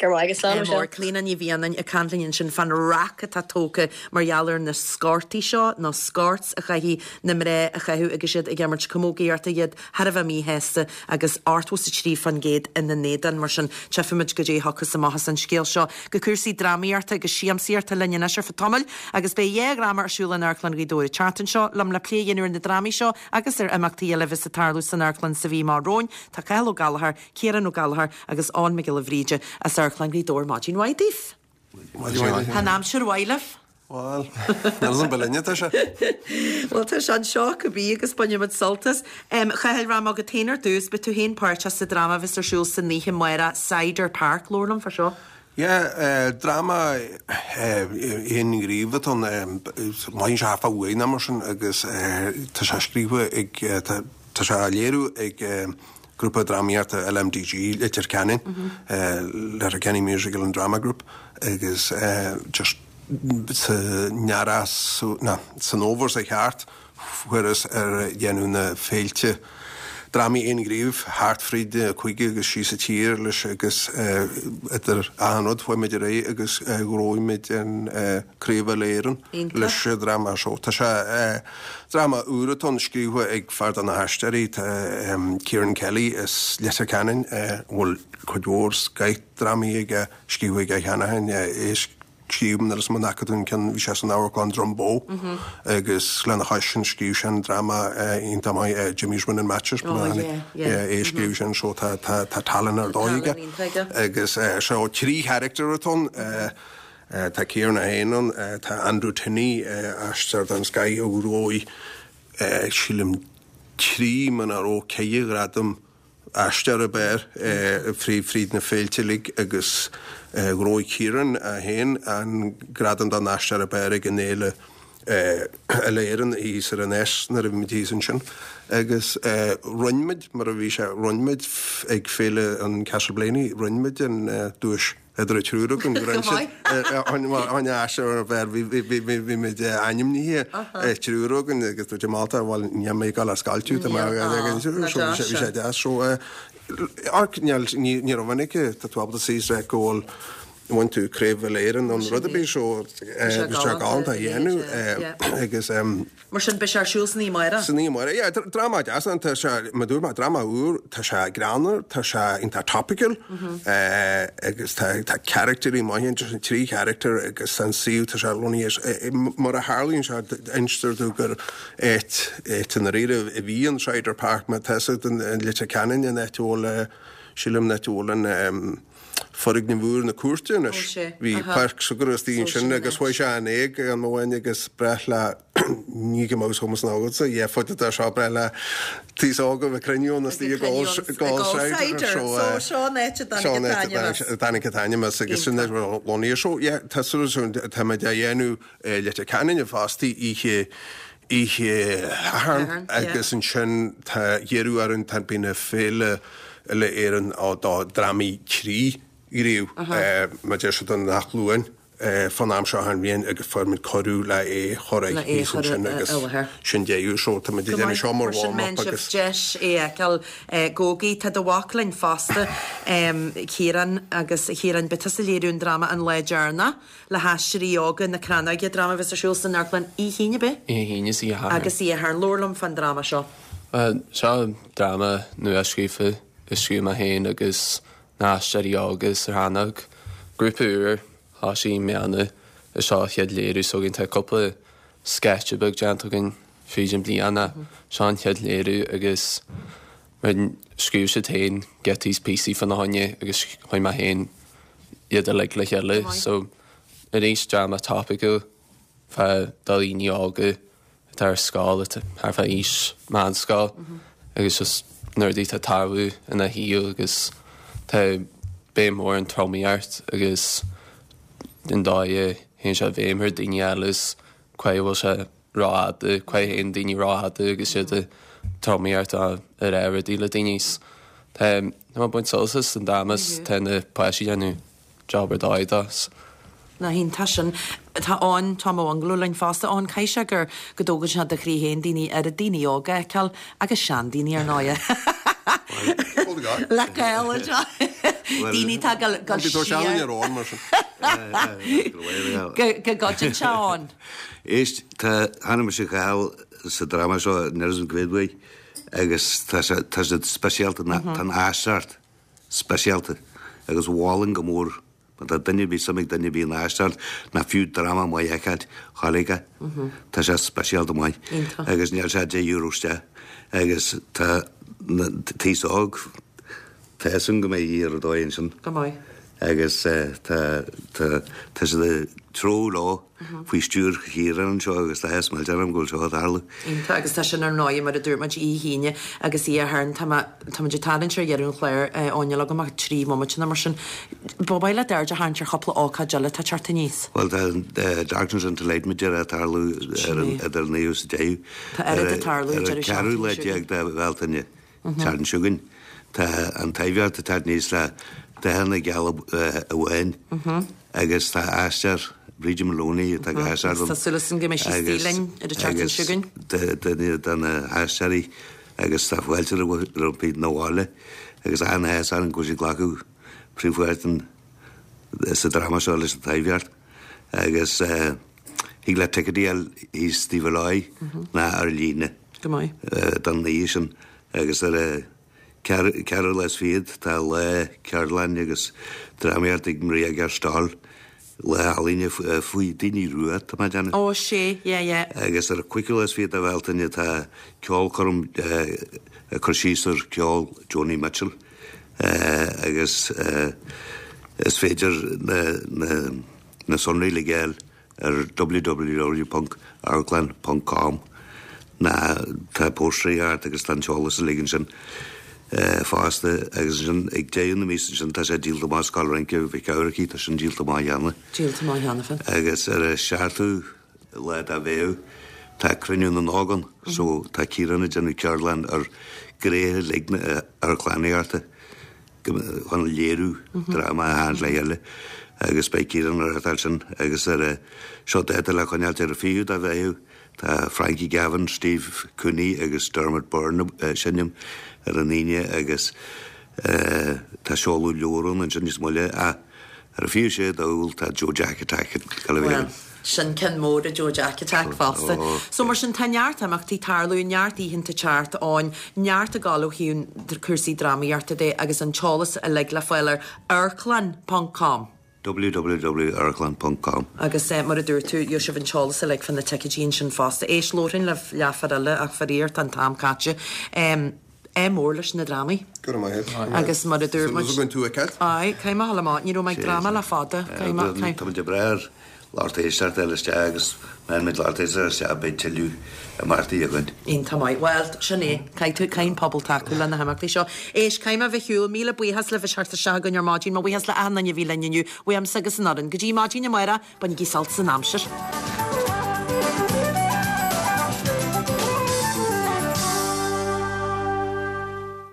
Go raibh maith agat, slán Michelle. Clíona Ní Mhianáin ag caint linn ansin fán raic atá tógtha mar gheall ar na scortaí seo, nó scorts a chaithfidh na mná a chaitheamh agus iad ag imirt camógaíochta, iad thar a bheith míshásta agus 83% ina n-éadan. Mar sin, tchífimid goidé a thiocfas amach as an scéal seo. Go cúrsaí drámaíochta agus siamsaíochta linn anois ar feadh tamaill agus beidh dhá dhráma ar siúl in Amharclann Ghaoth Dobhair an tseachtain seo. Liom le plé a dhéanamh ar na drámaí seo agus ar imeachtaí eile a bheas ag tarlú san amharclann sa mhí amach romhainn, tá Cathal Ó Gallchóir, Ciarán Ó Gallchóir agus Eoin Mac Giolla Bhríde as Amharclann Ghaoth Dobhair. Maidin mhaith daoibh. Maidin mhaith. Tá an aimsir mhaith libh? Bhuel, níl 's agam, ba linne atá sé. Bhuel, tá sé anseo cibé agus bainfimid sult as. A Chathail, rachaidh mé chugat féin ar dtús, beidh tú féin páirteach sa dráma a bheas ar siúl san oíche amárach, Cider Park. Labhair liom fá seo. Yeah, dráma aonghníomh atá ann, maireann sé thart fá uair nó mar sin agus tá sé scríofa ag, tá sé á léiriú ag grúpa drámaíochta LMDG Leitir Ceanainn, Letterkenny Musical and Drama Group, agus just san earrach, ná, san fhómhar seo thart, fuarthas ar dhéanamh na féilte drámaí aonghnímh thart fríd na cúige agus síos an tír leis agus idir achan rud chuaigh muid ar aghaidh agus ghnóthaigh muid an Craobh Uile-Éireann leis an dráma seo. Tá sé Dráma úr atá ann, scríofa ag fear de na haisteoirí, tá Kieran Kelly as Leitir Ceanainn, a bhfuil cuid mhór scoith drámaí aige, scríofa aige cheana féin, é scríobh nuair is mo fhaca tú an ceann, bhí sé san amharclann Drumboe agus lena chois sin scríobh sé an dráma iontach maith Jimmy's Winning Matches, é a scríobh sin so tá tá tallann ar dóigh aige agus so trí charachtar atá ann, tá Kieran é féin ann, tá Andrew Tinney, aisteoir den scoith a ghnóthaigh sílim trí muna raibh ceithre ghradam. aisteoir ab fhearr fríd na féilte uilig agus ghnóthaigh Ciarán é féin an gradam don aisteoir ab fhearr ag an fhéile Uile-Éireann thíos ar an Eas nuair a bhí muid thíos ansin. Agus roinn muid, mar a bhí sé, roinn muid ag féile an Castleblayney, roinn muid an duais idir an triúr againn. Roinn siad an aisteoir ab fhearr, bhí muid ainmnithe triúr againn agus dúirt Málta, bhuel, níl mé ag dul a scoilteadh, tá mé bhí sé deas. So, ní raibh aon aici, tá tú ábalta suí is rá go bhfuil bhain tú Craobh Uile-Éireann nó rud ar bith so bhí sé galánta a dhéanamh agus. Mar sin beidh sé ar siúl san oíche amárach? San oíche amárach, yeah. Dráma deas ann, tá sé, mar dúirt mé, dráma úr, tá sé greannmhar, tá sé iontach topical agus tá tá caractéirí maithe ann, tá trí character agus tá an suíomh, tá sé lonnaithe, mar a tharlaíonn sé, instear domh gur áit, áit i ndáiríre a bhí an Cider Park, má tá fhios agat in Leitir Ceanainn, an áit a bhfuil, sílim an áit a bhfuil an. foirgneamh úr na cúirte anois. Bhí páirc s'againne istigh ansin agus chuaigh sé in éag am amháin agus breá le ní go mbeadh chumas ná agatsa, yeah, fud atá seo breá le taos óga bheith cruinniú ann istigh ag ól cider. So seo an áit a dtáinig an t-ainm as. Tháinig an t-ainm as agus sin lonnaithe. So yeah, tá súil táimid á dhéanamh Leitir Ceanainn fosta oíche oíche Shathairn agus ansin tá iarradh orainn tá bíonn na Féile Uile-Éireann do drámaí tríghníomh mar deir siad an gach Luan fán am seo an bhliain agus fuair muid cuireadh le é a chur Le é a thíos chur ansin i agus láthair. sin deireadh so tá muid ag Go déanamh maith, seo mar mar sin warm up mbeidh sibh agus deis é a fheiceáil gabhaigí. Tá do mhac linn fosta, Ciarán, agus a Chiaráin, beidh tusa ag léiriú an dráma An Lá Deireanach. le hAisteoirí Óga na Crannóige, dráma a bheas ar siúl san amharclann Oíche hAoine, ab ea? Oíche hAoine is Oíche Shathairn. Agus Oíche Shathairn. Labhair liom fán dráma seo. Bhuel, seo dráma nua-scríofa a scríobh mé féin agus na hAisteoirí Óga sa Chrannóg. Grúpa úr, thosaigh i mbliana, is seo an chéad léiriú s'againn. Tá cúpla sceitse beag déanta againn fríd an bliain ach seo an chéad léiriú agus mar scríobh siad féin giotaí is píosaí fána choinne agus chuir mé féin iad uilig le chéile. So arís dráma topiciúil fá do dhaoine óga atá ar scoil atá thart fá aois meánscoil agus just na rudaí atá ag tarlú ina shaol agus tá béim mhór ar an tromaíocht agus an dóigh a théann sé i bhfeidhm ar daoine eile is cá bhfuil sé rófhada, cá théann daoine rófhada agus iad ag tromaíocht á ag rá rudaí le daoine. Tá mé ag baint sult as an dráma is tá na páistí ag déanamh job ar dóigh dó. Nach iontach sin. Tá Eoin, Tom Ó Mhungala linn fosta. Eoin, caithfidh sé gur, go dtógann sé do chroí féin daoine, oiread daoine óga a fheiceáil agus seandaoine ar ndóighe. Le gael anseo. Daoine atá ag dul siar. Go gcoideann sé Eoin. Éist, tá, chonaic mise Cathal sa dráma seo níl a fhios agam cá mhéad uair agus tá sé, tá siad speisialta, tá an aisteoireacht speisialta agus mholfainn go mór má tá duine ar bith, suim ag duine ar bith in aisteoireacht ná fiú dráma maith a fheiceáilt, ghabh aige. Tá sé speisialta maith agus níl sé €10 isteach agus tá na, taos óg, Tá fhios agam go mbeidh oíche ar dóigh ansin. Go mbeidh. Agus tá, tá, tá siad ag treabhadh leo faoi stiúir Chiaráin anseo agus tá áthas millteach orm go bhfuil seo ag tarlú. Iontach agus tá sin ar ndóigh mar a dúirt muid oíche hAoine agus oíche Shathairn. Tá mé, tá muid ag tarraingt ar dheireadh an chláir, Eoin, níl agam ach 3 bhomaite nó mar sin. Ba mhaith leat aird a tharraingt ar chúpla ócáid eile atá ag teacht aníos. Bhuel tá Darkness into Light mar a déarfá ag tarlú ar an, idir an 9ú is an 10ú. Tá oiread ag tarlú an deireadh seachtaine seo. Ar an 14ú lá de Bhealtaine. Tseachtain seo chugainn. Tá an Taibhdhearc ag teacht aníos le dathanna geala amháin agus tá aisteoir Bríde Maloney atá ag aisteoireacht Agus tá súil againn go mbeidh sí istigh linn ar an tseachtain seo chugainn. Agus duine de na haisteoirí agus tá fáilte roimpi 'na bhaile agus an-áthas orainn go bhfuil sí ag glacadh príomhpháirt sa dráma seo leis an Taibhdhearc agus thig leat ticéidí a fháil thíos taobh ar láimh ná ar líne. Go maith. Don oíche sin agus ar an ceathrú lá is fichead tá lá ceardlainne agus drámaíocht ag Maria Gerstal, lá ealaíne faoi daoine rua tá mé ag déanamh. Ó sea, yeah yeah. Agus ar an cúigiú lá is fichead de Bhealtaine tá ceolchoirm ag cur síos ar ceol Joni Mitchell agus is féidir na sonraí le fáil ar www.amharclann.com ná tá póstaerí thart agus tá an t-eolas uilig ansin. Fosta agus ansin ag deireadh na míosa ansin tá sé díolta amach Scoil Rince Mhic Eamharcaigh, tá sin díolta amach cheana. Díolta amach cheana féin. Agus ar an seachtú lá de Mheitheamh tá Cruinniú na nÓg ann so tá Ciarán ag déanamh ceardlann ar ghnéithe uilig na amharclannaíochta chun léiriú dráma a tharraingt le chéile agus beidh Ciarán ag reáchtáil sin agus ar a seo dáta le coinneáilt ar an 20ú de Mheitheamh Tá Frankie Gavin, Steve Cooney agus Dermot Byrne ag seinm ar an Aoine agus tá seoladh leabhar ann ansin níos moille ach ar an 26 d'Iúil tá Joe Jack Attack ag dul a bheith ann. Sin ceann mór é Joe Jack Attack fosta. So mar sin tá neart imeachtaí ag tarlú, neart oícheanta teacht ann, neart ag gabháil ó thaobh cúrsaí drámaíochta de agus an t-eolas uilig le fáil ar amharclann ponc com. www.amharclann ponc com. Agus mar a dúirt tú, gheobhaidh sibh an t-eolas uilig fá na ticéidí ansin fosta. Éist, labharfainn libh leathuair eile ach faraor tá an t-am caite. Ádh mór leis na drámaí. Go raibh maith agat. Agus mar a dúirt muid. Súil agam tú a fheiceáil. Aye, caithfidh mé a dhul amach. Ní raibh mé ag dráma le fada. Caithfidh mé, caithfidh. Tá muid ag brath ar lucht éisteachta a fháil isteach agus má fhaigheann muid lucht éisteachta isteach beidh tuilleadh imeachtaí againn. Iontach maith. Bhuel, sin é. Caithfidh tú, caithfidh an pobal tacú le na himeachtaí seo. Éist, caithfidh mé a bheith ar shiúl. Míle buíochas libh as teacht isteach chugainn ar maidin. Mo bhuíochas le achan duine a bhí linn inniu, uaimse agus an fhoireann. Go dtí maidin amárach, bainigí sult as an aimsir.